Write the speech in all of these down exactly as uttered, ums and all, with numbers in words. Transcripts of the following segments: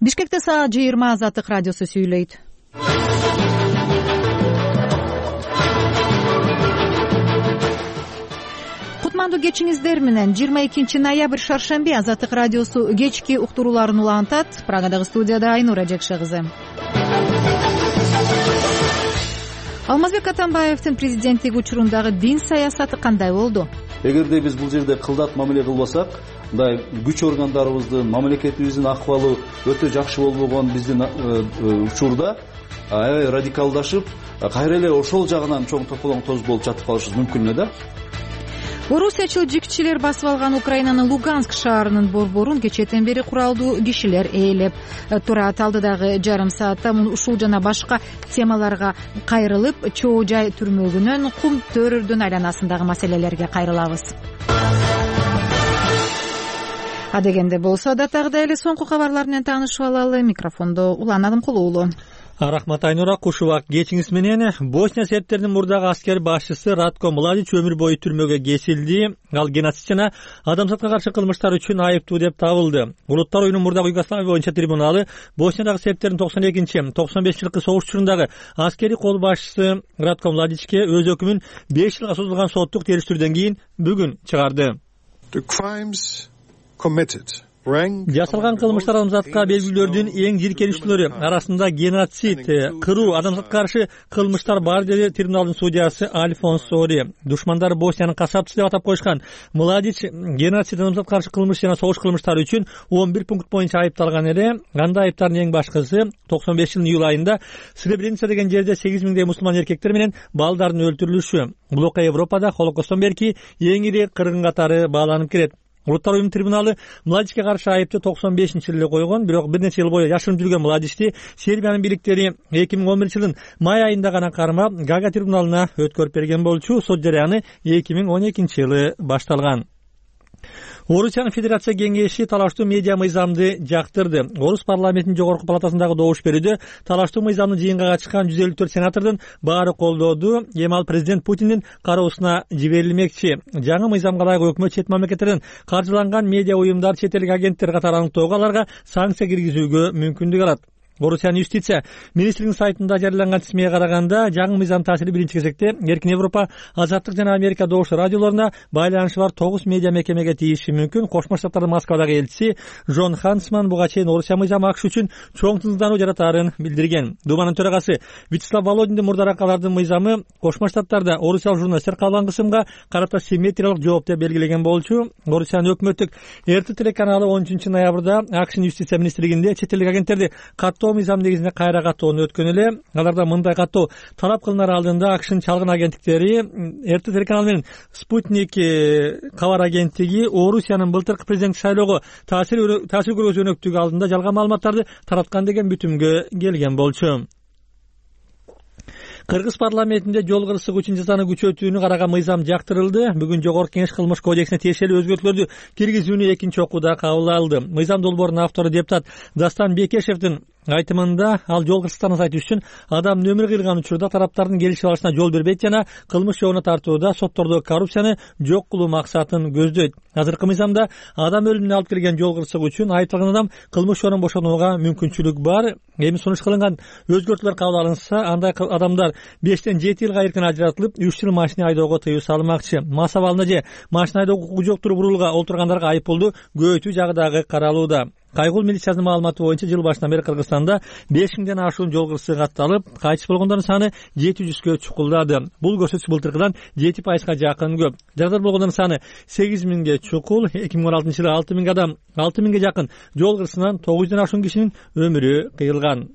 Бишкекте саат жыйырма Азаттык радиосу сүйлөйт. Кутмандуу кечиңиздер менен жыйырма экинчи ноябрь шаршемби Азаттык радиосу кечки уктурууларын улантат. Прагадагы студияда Айнура Жекше кызы. Алмазбек Атамбаевдин президенттик учурундагы дин саясаты кандай болду? Эгерде биз бул жерде кылдат мамиле кылбасак, мындай күч органдарыбыздын, мамлекетибиздин акыбалы өтө жакшы болбогон биздин учурда аябай радикалдашып, кайра эле ошол жагынан чоң тополоң тоз болуп жатып калышыбыз мүмкүн эле да. Орусиячыл жикчилер басып алган Украинанын Луганск шаарынын борборун кечээден бери куралдуу кишилер ээлеп турат. Алдыдагы жарым саатта ушул жана башка темаларга кайрылып, чоо жай түрмөгүнөн кум төрөрдүн айланасындагы маселелерге кайрылабыз. Адегенде болсо датагыдай эле соңку кабарлар менен таанышып алалы. Микрофондо Улан Адымкулуу уулу. Рахмат Айнура, куш убак кечиңиз менен. Босния сербтердин мурдагы аскер башчысы Ратко Младич өмүр бою түрмөгө кесилди. Ал геноцид жана адамзатка каршы кылмыштар үчүн айыптуу деп табылды. Улуттар оюнунун мурдагы Югославия боюнча трибуналы Босниядагы сербтердин токсон экинчи токсон бешинчи жылкы согуш учурундагы аскери кол башчысы Ратко Младичке өз өкүмүн беш жылга созулган соттук териштирүүдөн кийин бүгүн чыгарды. Жасалган кылмыштар адамзатка белгилөрдүн эң жийиркеничтүүлөрү арасында геноцид, кыруу, адамзатка каршы кылмыштар бар, деди трибуналдын судьясы Альфонс Сори. Душмандары Босниянын касапчысы деп атап коюшкан Младич геноцид, адамзатка каршы кылмыш жана согуш кылмыштары үчүн он бир пункт боюнча айыпталган эле. Анда айыптардын эң башкысы токсон беш жылдын июль айында Сребреница деген жерде сегиз миңдей мусулман эркектер менен балдардын өлтүрүлүшү. Бул окуя Европада Холокосттон берки эң ири кыргын катары бааланып келет. Улуттар оюнунун трибуналы Младичке каршы айыпты токсон бешинчи жылы койгон, бирок бир нече жыл бою жашырынып жүргөн Младичти Сербиянын бийликтери эки миң он биринчи жылдын май айында гана кармап, Гага трибуналына өткөрүп берген болчу. Сот жарыяны эки миң он экинчи жылы башталган. Орусиянын Федерация кеңеши талаштуу медиа мыйзамды жактырды. Орус парламентинин жогорку палатасындагы добуш берүүдө талаштуу мыйзамды жыйынга катышкан жүз элүү төрт сенатордун баары колдоду. Эми ал президент Путиндин кароосуна жиберилмекчи. Жаңы мыйзамга ылайык өкмөт чет мамлекеттерден каржыланган медиа уюмдар, чет элдик агенттер катары аныктоого, аларга санкция киргизүүгө мүмкүндүк алат. Орусиянын юстиция министринин сайтында жарыяланган тизмеге караганда, жаңы мыйзам таасири биринчи кезекте Эркин Европа, Азаттык жана Америка добуш радиолоруна байланышы бар тогуз медиа мекемеге тийиши мүмкүн. Кошмо Штаттардын Москвадагы элчиси Жон Хансман буга чейин Орусия мыйзамы АКШ үчүн чоң тынчсыздануу жаратаарын билдирген. Думанын төрагасы Вячеслав Володиндин мурдараак алардын мыйзамы Кошмо Штаттарда орусиялык журналисттер кабылган кысымга карата симметриялык жооп деп белгилеген болчу. Орусиянын өкмөттүк эр тэ телеканалы он үчүнчү ноябрда АКШнын юстиция министрлигинде чет элдик агенттерди каттоо мыйзам негизинде кайра каттоону өткөн эле. Аларда мындай каттоо талап кылынар алдында АКШнын чалгын агенттиктери эр тэ телеканалы менен Спутник кабар агенттиги Орусиянын былтыркы президенттик шайлоого таасир таасир көргөзүү өнөктүгү алдында жалган маалыматтарды тараткан деген бүтүмгө келген болчу. Кыргыз парламентинде жол кырсык үчүн жазаны күчөтүүнү караган мыйзам жактырылды. Бүгүн Жогорку Кеңеш кылмыш кодексине тиешелүү өзгөртүүлөрдү киргизүүнү экинчи окууда кабыл алды. Мыйзам долбоорунун автору депутат Дастан Бекешевдин айтымында, ал жол кырсыктарын азайтуу үчүн адамдын өмүрү кыйылган учурда тараптардын келишип алышына жол бербейт жана кылмыш жолуна тартууда соттордогу коррупцияны жок кылуу максатын көздөйт. Азыркы мыйзамда адам өлүмүнө алып келген жол кырсыгы үчүн айыпталган адам кылмыш жолунан бошонууга мүмкүнчүлүк бар. Эми сунуш кылынган өзгөртүүлөр кабыл алынса, андай адамдар бештен жети жылга эркин ажыратылып, үч жыл машина айдоого тыюу салынмакчы. Мас абалына же машина айдоого укугу жок рулга олтургандарга айыппулду көбөйтүү жагы дагы каралууда. Кайгул милициясынын маалыматы боюнча жыл башынан бери Кыргызстанда беш миңден ашуун жол кырсыгы катталып, кайтыш болгондордун саны жети жүзгө чукулдады. Бул көрсөткүч былтыркыдан жети пайызга жакын көп. Жарадар болгондордун саны сегиз миңге чукул. эки миң он алтынчы жылы алты миң адам алты миңге жакын жол кырсыгынан тогуз жүздөн ашуун кишинин өмүрү кыйылган.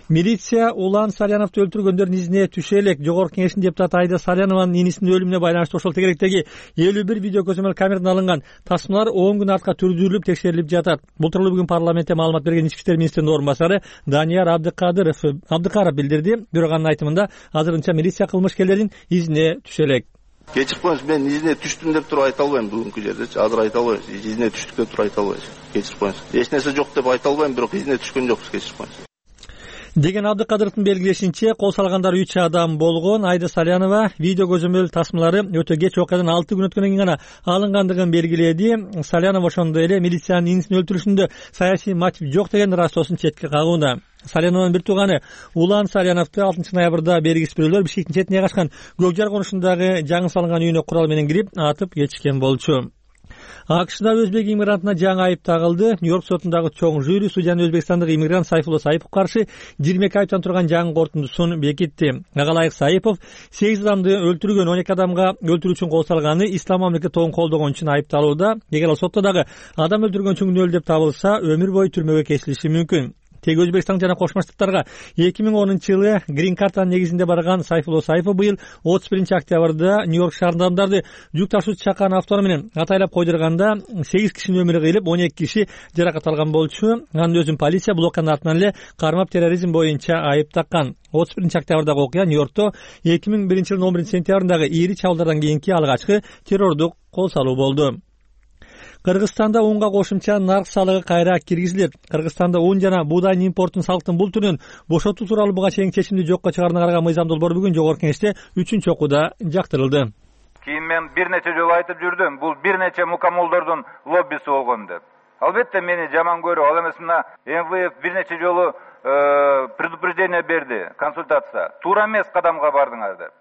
Милиция Улан Саляновду өлтүргөндөрдүн изине түшө элек. Жогорку Кеңештин депутаты Айда Салянованын инисинин өлүмүнө байланыштуу ошол тегеректеги элүү бир видео көзөмөл камерадан алынган тасмалар он күн артка түрдүрүлүп текшерилип жатат. Бул тууралуу бүгүн парламентте маалымат берген ички иштер министринин орун басары Данияр Абдыкадыров Абдыкаров билдирди. Бирок анын айтымында азырынча милиция кылмышкерлердин изине түшө элек. Кечирип коюңуз, мен изине түштүм деп туруп айта албайм бүгүнкү жердечи. Азыр айта албайм. Изине түштүк деп туруп айта албайм. Кечирип коюңуз. Эч нерсе жок деп айта албайм, бирок изине түшкөн жокпуз, кечирип коюңуз. деген Абдыкадыровдун белгилешинче, кол салгандар үч адам болгон. Айда Салянова видео көзөмөл тасмалары өтө кеч окуядан алты күн өткөндөн кийин гана алынгандыгын белгиледи. Салянова ошондой эле милициянын инисин өлтүрүшүндө саясий мотив жок деген растоосун четке кагууда. Салянованын бир тууганы Улан Саляновду алтынчы ноябрда бергис бирөөлөр Бишкектин четине жайгашкан Көкжар конушундагы жаңы салынган үйүнө курал менен кирип атып кетишкен болчу. АКШда өзбек иммигрантына жаңы айып тагылды. Нью-Йорк сотундагы чоң жюри судьяны өзбекстандык иммигрант Сайфулло Сайыповго каршы жыйырма эки айыптан турган жаңы корутундусун бекитти. Ага ылайык Сайыпов сегиз адамды өлтүргөн, он эки адамга өлтүрүү үчүн кол салганы, ислам мамлекет тобун колдогон үчүн айыпталууда. Эгер ал сотто дагы адам өлтүргөн үчүн күнөөлүү деп табылса, өмүр бою түрмөгө кесилиши мүмкүн. Тег Өзбекстан жана Кошмо Штаттарга эки миң онунчу жылы грин картанын негизинде барган Сайфулло Сайыпов быйыл отуз биринчи октябрда Нью-Йорк шаарында адамдарды жүк ташуучу чакан автор менен атайлап койдурганда сегиз кишинин өмүрү кыйылып, он эки киши жаракат алган болчу. Анын өзүн полиция бул окуянын артынан эле кармап терроризм боюнча айып таккан. отуз биринчи октябрдагы окуя Нью-Йоркто эки миң биринчи жылдын он биринчи сентябрындагы ири чабуулдардан кийинки алгачкы террордук кол салуу болду. Кыргызстанда унга кошумча нарк салыгы кайра киргизилет. Кыргызстанда ун жана буудайдын импортун салыктын бул түрүнөн бошотуу тууралуу буга чейин чечимди жокко чыгарууна караган Мыйзам Долбоор бүгүн Жогорку Кеңеште үчүнчү окууда жактырылды. Кийин мен бир нече жолу айтып жүрдүм, бул бир нече мукаммалдардын лоббиси болгон деп. Албетте мени жаман көрүп, ал эмес мына эм вэ эф бир нече жолу предупреждение берди, консультация. Туура эмес кадамга бардыңар деп.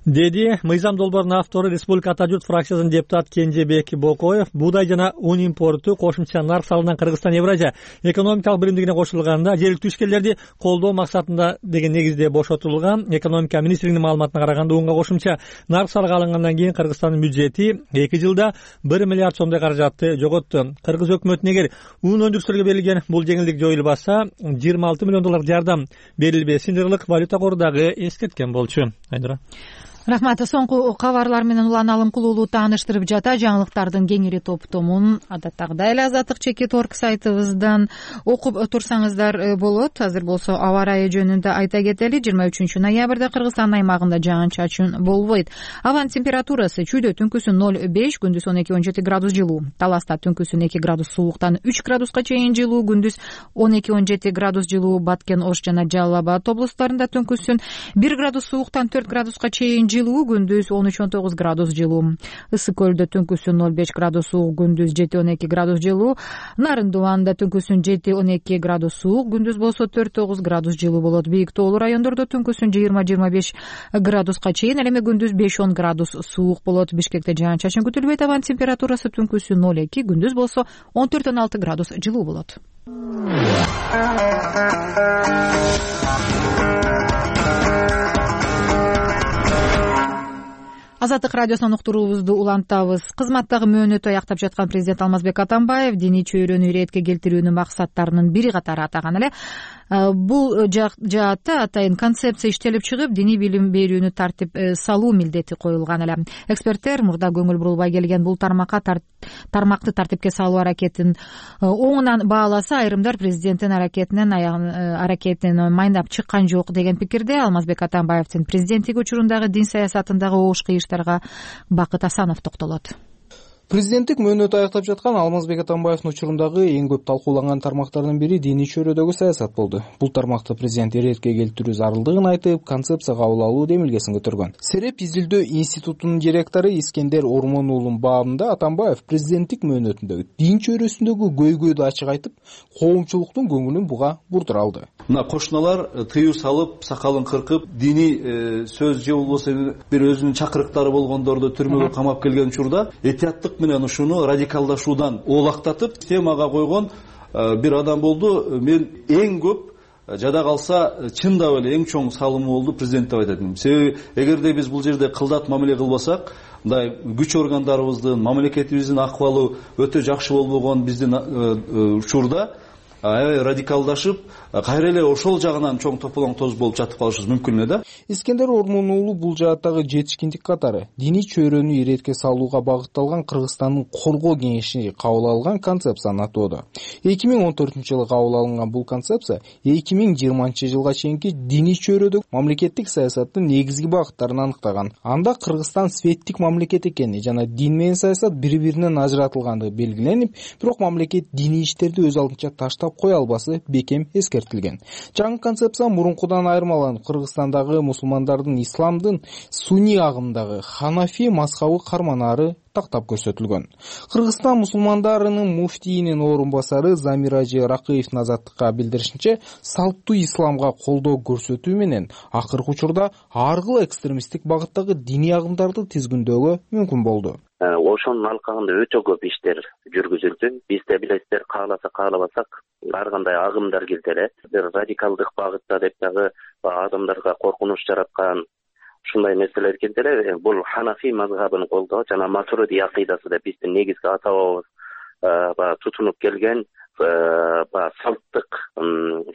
Деди Мыйзам Долбоордун автору Республика Ата журт фракциясынын депутаты Кенжебек Бокоев. Буудай жана un импорту кошумча нарк салынган Кыргызстан Евразия экономикалык биримдигине кошулганда жергиликтүү ишкерлерди колдоо максатында деген негизде бошотулган. Экономика министрлигинин маалыматына караганда унга кошумча нарк салыгы алынгандан кийин Кыргызстандын бюджети эки жылда бир миллиард сомдой каражатты жоготту. Кыргыз өкмөтүнө эгер un өндүрүүчүлөргө берилген бул жеңилдик жоюлбаса, жыйырма алты миллион доллар жардам берилбесин Ырлык валюта кору дагы эскерткен болчу. Айдыра. Рахмат. Соңку кабарлар менен Улан Алымкулуулу тааныштырып жата. Жаңылыктардын кеңири топтомун адаттагыдай эле Азаттык чекит орг сайтыбыздан окуп турсаңыздар болот. Азыр болсо аба ырайы жөнүндө айта кетели. жыйырма үчүнчү ноябрда Кыргызстан аймагында жаан чачын болбойт. Абанын температурасы чүйдө түнкүсүн ноль беш, күндүз он эки он жети градус жылуу. Таласта түнкүсүн эки градус сууктан үч градуска чейин жылуу, күндүз он эки он жети градус жылуу. Баткен, Ош жана Жалал Абад облустарында түнкүсүн бир градус сууктан төрт градуска чейин жылуу, күндүз он үч он тогуз градус жылуу. Ысык көлдө түнкүсүн ноль беш градус суук, күндүз жети он эки градус жылуу. Нарындыбанда түнкүсүн жети он эки градус суук, күндүз болсо төрт тогуз градус жылуу болот. Бийик тоолуу райондордо түнкүсүн жыйырма жыйырма беш градуска чейин, ал эми күндүз беш он градус суук болот. Бишкекте жаан чачын күтүлбөйт. Абанын температурасы түнкүсүн ноль эки, күндүз болсо он төрт он алты градус жылуу болот. Азаттык радиосунан уктуруубузду улантабыз. Кызматтагы мөөнөтү аяктап жаткан президент Алмазбек Атамбаев диний чөйрөнү иретке келтирүүнүн максаттарынын бири катары атаган эле. Бул жаатта атайын концепция иштелип чыгып, диний билим берүүнү тартип салуу милдети коюлган эле. Эксперттер мурда көңүл бурулбай келген бул тармакка тармакты тартипке салуу аракетин оңунан бааласа, айрымдар президенттин аракетинен аракетин майнап чыккан жок деген пикирде. Алмазбек Атамбаевдин президенттик учурундагы дин саясатындагы оош кыйыштарга Бакыт Асанов токтолот. Президенттик мөөнөтү аяктап жаткан Алмазбек Атамбаевдин учурундагы эң көп талкууланган тармактардын бири диний чөйрөдөгү саясат болду. Бул тармакты президент иретке келтирүү зарылдыгын айтып, концепция кабыл алуу демилгесин көтөргөн. Сереп изилдөө институтунун директору Искендер Ормон уулунун баабында Атамбаев президенттик мөөнөтүндөгү дин чөйрөсүндөгү көйгөйдү ачык айтып, коомчулуктун көңүлүн буга бурдура алды. Мына кошуналар тыюу салып, сакалын кыркып, диний сөз же болбосо бир өзүнүн чакырыктары болгондорду түрмөгө камап келген учурда этияттык менен ушуну радикалдашуудан оолактатып темага койгон бир адам болду. Мен эң көп жада калса чындап эле эң чоң салымы болду президент деп айтат элем. Себеби эгерде биз бул жерде кылдат мамиле кылбасак, мындай күч органдарыбыздын, мамлекетибиздин акыбалы өтө жакшы болбогон биздин учурда аябай радикалдашып, кайра эле ошол жагынан чоң тополоң тоз болуп жатып калышыбыз мүмкүн эле да. Искендер Ормон уулу бул жааттагы жетишкиндик катары диний чөйрөнү иретке салууга багытталган Кыргызстандын коргоо кеңеши кабыл алган концепцияны атоодо. эки миң он төртүнчү жылы кабыл алынган бул концепция эки миң жыйырманчы жылга чейинки диний чөйрөдөгү мамлекеттик саясаттын негизги багыттарын аныктаган. Анда Кыргызстан светтик мамлекет экени жана дин менен саясат бири-биринен ажыратылгандыгы белгиленип, бирок мамлекет диний иштерди өз алдынча таштап кое албасы бекем эскертилген. Жаңы концепция мурункудан айырмаланып, Кыргызстандагы мусулмандардын исламдын сунни агымдагы Ханафи мазхабы карманары тактап көрсөтүлгөн. Кыргызстан мусулмандарынын муфтийинин орун басары Замиражи Ракыевдин Азаттыкка билдиришинче, салттуу исламга колдоо көрсөтүү менен акыркы учурда ар кыл экстремисттик багыттагы диний агымдарды тизгиндөөгө мүмкүн болду. Ошонун алкагында өтө көп иштер жүргүзүлдү. Биз да билесиздер, кааласа каалабасак ар кандай агымдар келди эле. Бир радикалдык багытта деп дагы адамдарга коркунуч жараткан ушундай нерселер келди эле. Бул Ханафи мазхабын колдоо жана Матуриди акыйдасы деп биздин негизги ата бабабыз тутунуп келген салттык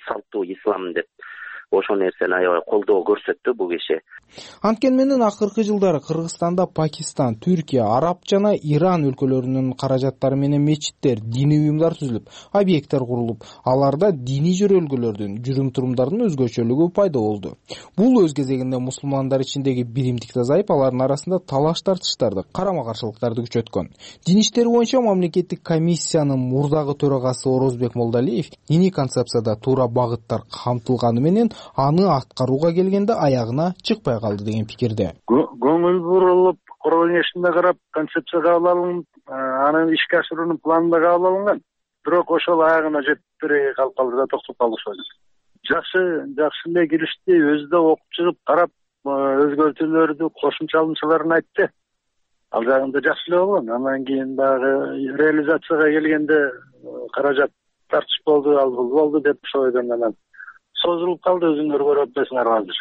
салттуу ислам деп ошол нерсени аябай колдоо көрсөттү бул киши. Анткени менен акыркы жылдары Кыргызстанда Пакистан, Түркия, Араб жана Иран өлкөлөрүнүн каражаттары менен мечиттер, диний уюмдар түзүлүп, объекттер курулуп, аларда диний жөрөлгөлөрдүн, жүрүм-турумдардын өзгөчөлүгү пайда болду. Бул өз кезегинде мусулмандар ичиндеги биримдикти азайып, алардын арасында талаш тартыштарды, карама-каршылыктарды күчөткөн. Дин иштери боюнча мамлекеттик комиссиянын мурдагы төрагасы Орозбек Молдалиев диний концепцияда туура багыттар камтылганы менен аны аткарууга келгенде аягына чыкпай калды деген пикирде. Көңүл бурулуп, курулушунда карап, концепция кабыл алынып, анын ишке ашыруунун планында кабыл алынган. Бирок ошол аягына жетпей калып калды да токтоп калды ошол. Жакшы, жакшы эле киришти, өзү да окуп чыгып, карап, өзгөртүүлөрдү, кошумча алынчаларын айтты. Ал жагында жакшы эле болгон. Андан кийин дагы реализацияга келгенде каражат тартыш болду, ал бул болду деп ошол ойдон анан созулуп калды, өзүңөр көрүп атпайсыңар азыр.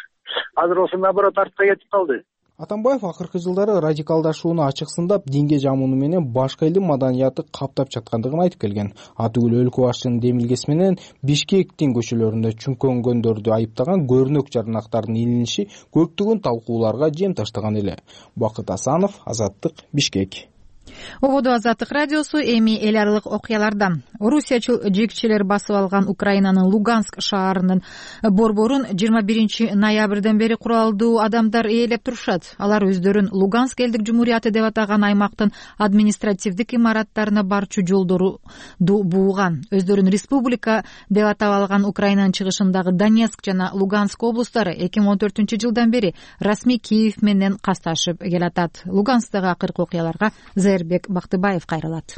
Азыр болсо наоборот артка кетип калды. Атамбаев акыркы жылдары радикалдашууну ачык сындап, динге жамууну менен башка элдин маданияты каптап жаткандыгын айтып келген. Атүгүл өлкө башчынын демилгеси менен Бишкектин көчөлөрүндө чүңкөнгөндөрдү айыптаган көрүнөк жарнактардын илиниши көптөгөн талкууларга жем таштаган эле. Бакыт Асанов, Азаттык, Бишкек. Ободо Азаттык радиосу. Эми эл аралык окуялардан. Орусиячыл жигчилер басып алган Украинанын Луганск шаарынын борборун жыйырма биринчи ноябрден бери куралдуу адамдар ээлеп турушат. Алар өздөрүн Луганск элдик жумурияты деп атаган аймактын административдик имараттарына барчу жолдорду бууган. Өздөрүн республика деп атап алган Украинанын чыгышындагы Донецк жана Луганск облустары эки миң он төртүнчү жылдан бери расмий Киев менен касташып келатат. Луганскдагы акыркы окуяларга Зербек Бактыбаев кайрылат.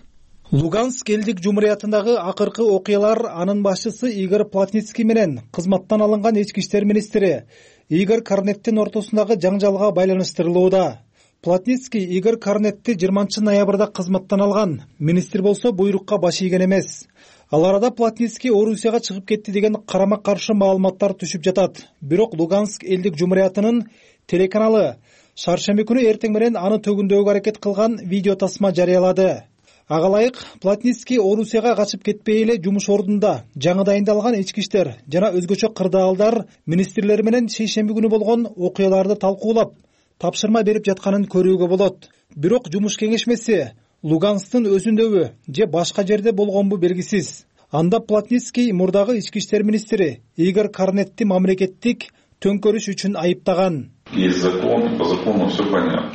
Луганск элдик жумуриятындагы акыркы окуялар анын башчысы Игорь Плотницкий менен кызматтан алынган ички иштер министри Игорь Корнеттин ортосундагы жаңжалга байланыштырылууда. Плотницкий Игорь Корнетти жыйырманчы ноябрда кызматтан алган. Министр болсо буйрукка баш ийген эмес. Ал арада Плотницкий Орусияга чыгып кетти деген карама-каршы маалыматтар түшүп жатат. Бирок Луганск элдик жумуриятынын телеканалы шаршемби күнү эртең менен аны төгүндөгө аракет кылган видео тасма жарыялады. Ага ылайык Плотницкий Орусияга качып кетпей эле жумуш ордунда жаңы дайындалган ички иштер жана өзгөчө кырдаалдар министрлери менен шейшемби күнү болгон окуяларды талкуулап, тапшырма берип жатканын көрүүгө болот. Бирок жумуш кеңешмеси Луганскдын өзүндөбү же башка жерде болгонбу белгисиз. Анда Плотницкий мурдагы ички иштер министри Игорь Корнетти мамлекеттик төңкөрүш үчүн айыптаган. Есть закон, по закону все понятно.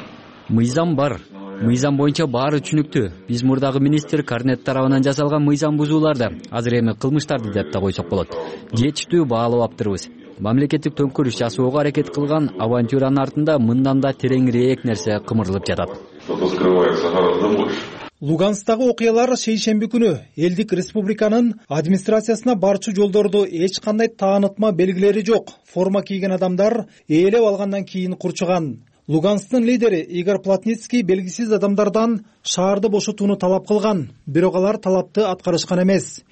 Мыйзам бар. Мыйзам боюнча баары түшүнүктүү. Биз мурдагы министр Корнет тарабынан жасалган мыйзам бузууларды, азыр эми кылмыштарды деп да койсок болот. Жетиштүү баалап аптырбыз. Мамлекеттик төңкөрүш жасоого аракет кылган авантюранын артында мындан да тереңирээк нерсе кымырылып жатат. Что-то скрывается гораздо больше. Луганскдагы окуялар шейшемби күнү элдик республиканын администрациясына барчу жолдорду эч кандай таанытма белгилери жок форма кийген адамдар ээлеп алгандан кийин курчуган. Луганскдын лидери Игорь Плотницкий белгисиз адамдардан шаарды бошотууну талап кылган, бирок алар талапты аткарышкан эмес.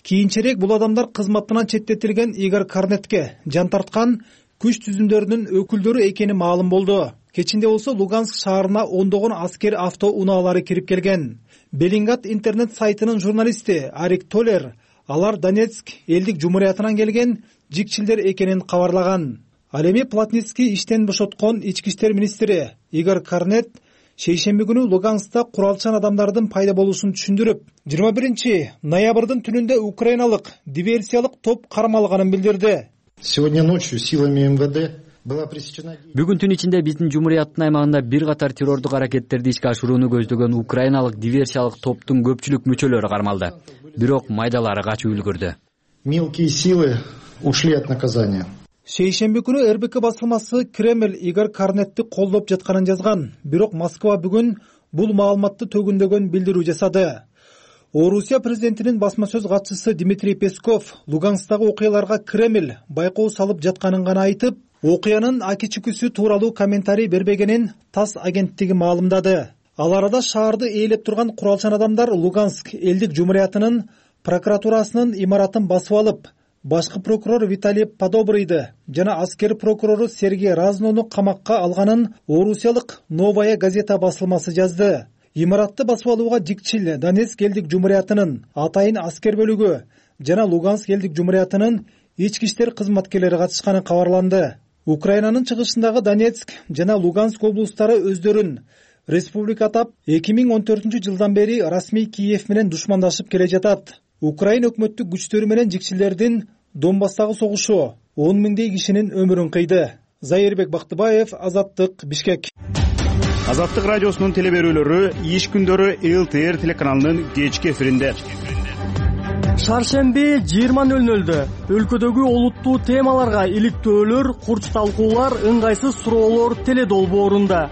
Кийинчерээк бул адамдар кызматынан четтетилген Игорь Корнетке жан тарткан күч түзүмдөрүнүн өкүлдөрү экени маалым болду. Кечинде болсо Луганск шаарына ондогон аскер авто унаалары кирип келген. Белингат интернет сайтынын журналисти Арик Толер алар Донецк элдик жумуриятынан келген жигчилдер экенин кабарлаган. Ал эми Плотницкий иштен бошоткон ички иштер министри Игорь Корнет шейшемби күнү Луганскта куралчан адамдардын пайда болушун түшүндүрүп, жыйырма биринчи ноябрдын түнүндө украиналык диверсиялык топ кармалганын билдирди. Сегодня ночью силами эм вэ дэ Бүгүн түн ичинде биздин Жумурияттын аймагында бир катар террордук аракеттерди ишке ашырууну көздөгөн украиналык диверсиялык топтун көпчүлүк мүчөлөрү кармалды. Бирок майдалары качып үлгүрдү. Мелкие силы ушли от наказания. Шейшемби күнү эр бэ ка басылмасы Кремль Игорь Корнетти колдоп жатканын жазган. Бирок Москва бүгүн бул маалыматты төгүндөгөн билдирүү жасады. Орусия президентинин басма сөз катчысы Дмитрий Песков Луганскдагы окуяларга Кремль байкоо салып жатканын гана айтып, окуянын аки чүкүсү тууралуу комментарий бербегенин ТАСС агенттиги маалымдады. Ал арада шаарды ээлеп турган куралчан адамдар Луганск элдик жумуриятынын прокуратурасынын имаратын басып алып, башкы прокурор Виталий Подобрыйды жана аскер прокурору Сергей Разнону камакка алганын орусиялык Новая газета басылмасы жазды. Имаратты басып алууга Дикчил Донецк элдик жумуриятынын атайын аскер бөлүгү жана Луганск элдик жумуриятынын ички иштер кызматкерлери катышканы кабарланды. Украинанын чыгышындагы Донецк жана Луганск облустары өздөрүн республика атап эки миң он төртүнчү жылдан бери расмий Киев менен душмандашып келе жатат. Украин өкмөттүк күчтөрү менен жикчилердин Донбасстагы согушу он миңдей кишинин өмүрүн кыйды. Зайырбек Бактыбаев, Азаттык, Бишкек. Азаттык радиосунун телеберүүлөрү иш күндөрү эл тэ эр телеканалынын кечки эфиринде. Шаршемби жыйырма нөл нөлдө өлкөдөгү олуттуу темаларга иликтөөлөр, курч талкуулар, ыңгайсыз суроолор теле долбоорунда.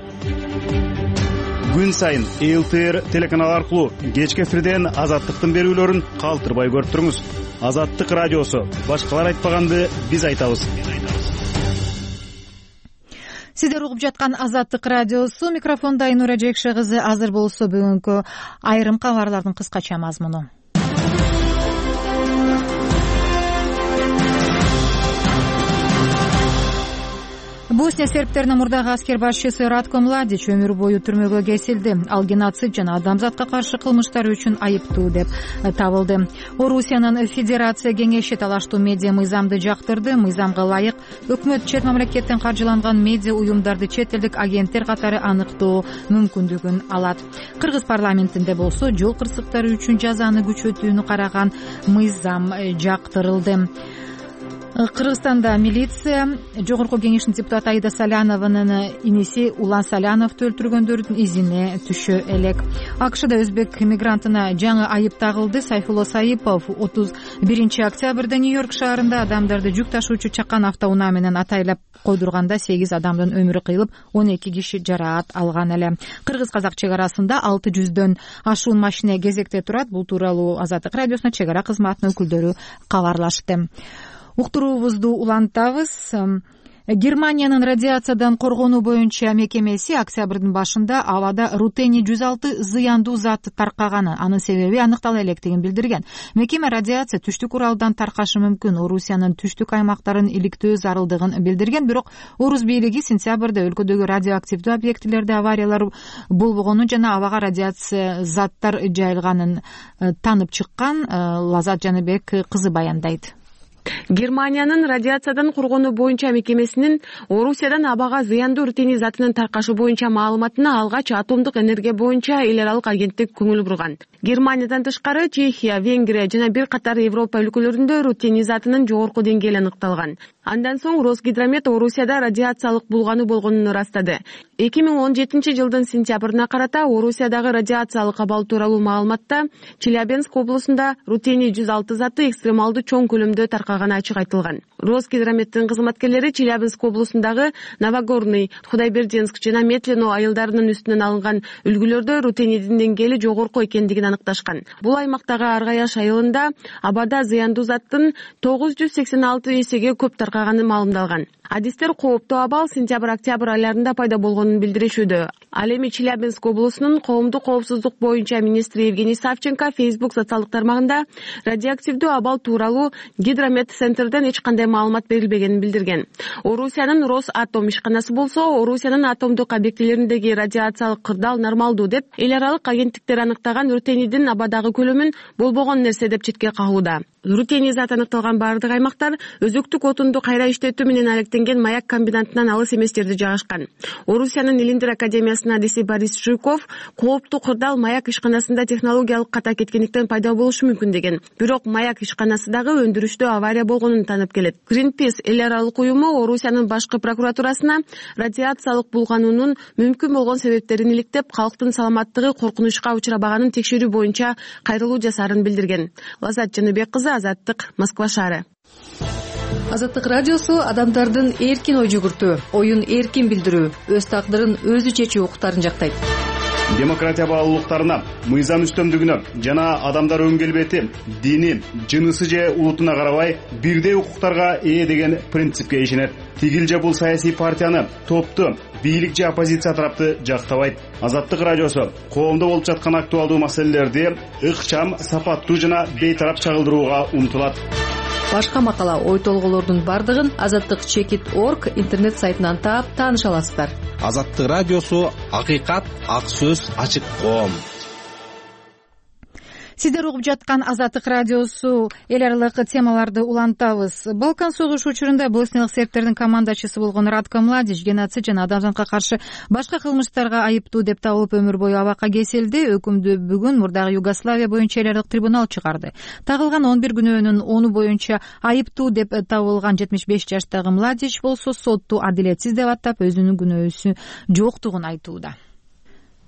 Күн сайын эл тэ эр телеканалы аркылуу кечки эфирден Азаттыктын берүүлөрүн калтырбай көрүп туруңуз. Азаттык радиосу. Башкалар айтпаганды биз айтабыз. Сиздер угуп жаткан Азаттык радиосу. Микрофонда Айнура Жекше кызы. Азыр болсо бүгүнкү айрым кабарлардын кыскача мазмуну. Босния сербтеринин мурдагы аскер башчысы Ратко Младич өмүр бою түрмөгө кесилди. Ал геноцид жана адамзатка каршы кылмыштар үчүн айыптуу деп табылды. Орусиянын Федерация кеңеши талаштуу медиа мыйзамды жактырды. Мыйзамга ылайык өкмөт чет мамлекеттен каржыланган медиа уюмдарды чет элдик агенттер катары аныктоо мүмкүндүгүн алат. Кыргыз парламентинде болсо жол кырсыктары үчүн жазаны күчөтүүнү караган мыйзам жактырылды. Кыргызстанда милиция жогорку кеңештин депутаты Аида Салянованын иниси Улан Саляновду өлтүргөндөрдүн изине түшө элек. АКШда өзбек мигрантына жаңы айып тагылды. Сайфулло Саипов отуз биринчи октябрда Нью-Йорк шаарында адамдарды жүк ташуучу чакан автоунаа менен атайлап койдурганда сегиз адамдын өмүрү кыйылып, он эки киши жараат алган эле. Кыргыз-казак чек арасында алты жүздөн ашуун машина кезекте турат. Бул тууралуу Азаттык радиосуна чек ара кызматынын өкүлдөрү кабарлашты. Уктуруубузду улантабыз. Германиянын радиациядан коргонуу боюнча мекемеси октябрдын башында абада рутений жүз алты зыяндуу зат таркаганы, анын себеби аныктала электигин билдирген. Мекеме радиация түштүк Уралдан таркашы мүмкүн, Орусиянын түштүк аймактарын иликтөө зарылдыгын билдирген. Бирок Орус бийлиги сентябрда өлкөдөгү радиоактивдүү объектилерде авариялар болбогонун жана абага радиация заттар жайылганын танып чыккан. Лазат Жаныбек кызы баяндайт. Германиянын радиациядан коргонуу боюнча мекемесинин Орусиядан абага зыяндуу рутений затынын таркашы боюнча маалыматына алгач атомдук энергия боюнча эл аралык агенттик көңүл бурган. Германиядан тышкары Чехия, Венгрия жана бир катар Европа өлкөлөрүндө рутений затынын жогорку деңгээли аныкталган. Андан соң Росгидромет Орусияда радиациялык булгануу болгонун ырастады. эки миң он жетинчи жылдын сентябрына карата Орусиядагы радиациялык абал тууралуу маалыматта Челябинск облусунда рутений жүз алты заты экстремалдуу чоң көлөмдө таркаганы ачык айтылган. Росгидрометтин кызматкерлери Челябинск облусундагы Новогорный, Худайбердинск жана Метлино айылдарынын үстүнөн алынган үлгүлөрдө рутенийдин деңгээли жогорку экендигин аныкташкан. Бул аймактагы Аргаяш айылында абада зыяндуу заттын тогуз жүз сексен алты эсеге көп таркаганы маалымдалган. Адистер кооптуу абал сентябрь-октябрь айларында пайда болгонун билдиришүүдө. Ал эми Челябинск облусунун коомдук коопсуздук боюнча министри Евгений Савченко Facebook социалдык тармагында радиоактивдүү абал тууралуу Гидромет центрден эч кандай маалымат берилбегенин билдирген. Орусиянын Росатом ишканасы болсо, Орусиянын атомдук объектилериндеги радиациялык кырдаал нормалдуу деп эл аралык агенттиктер аныктаган рутенийдин абадагы көлөмүн болбогон нерсе деп четке кагууда. рутений зат аныкталган баардык аймактар өзөктүк отунду кайра иштетүү менен алектенген маяк комбинатынан алыс эмес жерде жайгашкан. Орусиянын Илиндир академиясынын адиси Борис Жуйков кооптуу кырдаал маяк ишканасында технологиялык ката кеткендиктен пайда болушу мүмкүн деген. Бирок маяк ишканасы дагы өндүрүштө авария болгонун таанып келет. Greenpeace эл аралык уюму Орусиянын башкы прокуратурасына радиациялык булгануунун мүмкүн болгон себептерин иликтеп, калктын саламаттыгы коркунучка учурабаганын текшерүү боюнча кайрылуу жасаарын билдирген. Лаззат Жаныбек кызы, Азаттык, Москва шаары. Азаттык радиосу адамдардын эркин ой жүгүртүү, оюн эркин билдирүү, өз тагдырын өзү чечүү укуктарын жактайт. Демократия баалуулуктарына, мыйзам үстөмдүгүнө жана адамдар өң келбети, дини, жынысы же улутуна карабай бирдей укуктарга ээ деген принципке ишенет. Тигил же бул саясий партияны, топту, бийлик же оппозиция тарапты жактабайт. Азаттык радиосу коомдо болуп жаткан актуалдуу маселелерди ыкчам, сапаттуу жана бейтарап чагылдырууга умтулат. Башка макала, ой толголордун бардыгын азаттык чекит точка орг интернет сайтынан таап тааныша аласыздар. Азаттык радиосу акыйкат, ак сөз, ачык коом. Сиздер угуп жаткан Азаттык радиосу эл аралык темаларды улантабыз. Балкан согушу учурунда босниялык сербтердин командачысы болгон Радко Младич геноцид жана адамзатка каршы башка кылмыштарга айыптуу деп табылып өмүр бою абакка кесилди. Өкүмдү бүгүн мурдагы Югославия боюнча эл аралык трибунал чыгарды. Тагылган он бир күнөөнүн ону боюнча айыптуу деп табылган жетимиш беш жаштагы Младич болсо сотту адилетсиз деп атап, өзүнүн күнөөсү жоктугун айтууда.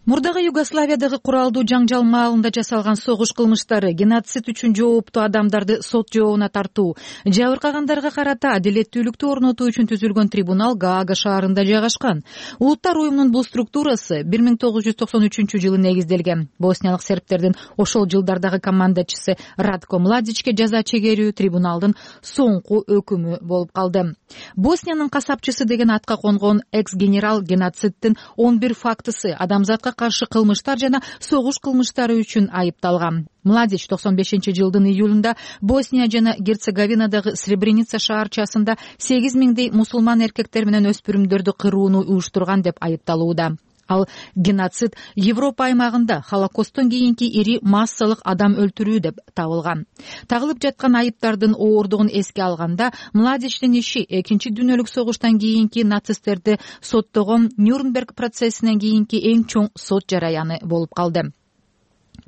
Мурдагы Югославиядагы куралдуу жаңжал маалында жасалган согуш кылмыштары, геноцид үчүн жооптуу адамдарды сот жообуна тартуу, жабыркагандарга карата адилеттүүлүктү орнотуу үчүн түзүлгөн трибунал Гаага шаарында жайгашкан. Улуттар уюмунун бул структурасы бир миң тогуз жүз токсон үчүнчү жылы негизделген. Босниялык сербтердин ошол жылдардагы командачысы Радко Младичке жаза чегерүү трибуналдын соңку өкүмү болуп калды. Босниянын касапчысы деген атка конгон экс-генерал геноциддин он бир фактысы, адамзатка каршы кылмыштар жана согуш кылмыштары үчүн айыпталган. Младич токсон бешинчи жылдын июлунда Босния жана Герцеговинадагы Сребреница шаарчасында сегиз миңдей мусулман эркектер менен өспүрүмдөрдү кырууну уюштурган деп айыпталууда. Ал геноцид Европа аймагында Холокосттон кийинки ири массалык адам өлтүрүү деп табылган. Тагылып жаткан айыптардын ооругун эске алганда, Младичтин иши экинчи дүйнөлүк согуштан кийинки нацисттерди соттогон Нюрнберг процессинен кийинки эң чоң сот жараяны болуп калды.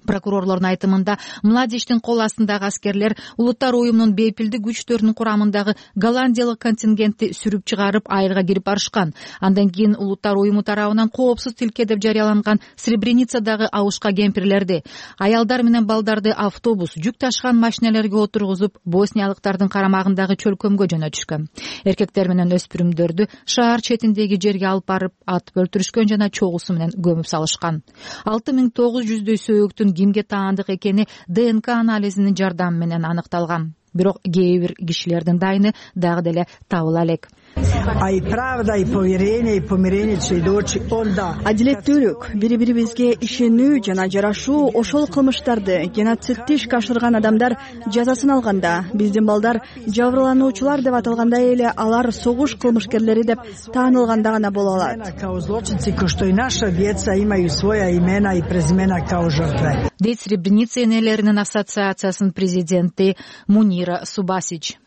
Прокурорлордун айтымында, Младичтин кол астындагы аскерлер улуттар уюмунун бейпилдик күчтөрүнүн курамындагы голландиялык контингентти сүрүп чыгарып айылга кирип барышкан. Андан кийин улуттар уюму тарабынан коопсуз тилке деп жарыяланган Сребреницадагы абышка кемпирлерди, аялдар менен балдарды автобус, жүк ташыган машинелерге отургузуп, босниялыктардын карамагындагы чөлкөмгө жөнөтүшкөн. Эркектер менен өспүрүмдөрдү шаар четиндеги жерге алып барып атып өлтүрүшкөн жана чогусу менен көмүп салышкан. алты миң тогуз жүздөй сөөктүн кимге таандык экени ДНК анализинин жардамы менен аныкталган. Бирок кээ бир кишилердин дайыны дагы деле табыла элек. Адилеттүүлүк, бири-бирибизге ишенүү жана жарашуу ошол кылмыштарды, геноцидти ишке ашырган адамдар жазасын алганда, биздин балдар жабырлануучулар деп аталгандай эле алар согуш кылмышкерлери деп таанылганда гана боло алат. Дейт Сребреница энелеринин ассоциациясынын президенти Мунира Субасич.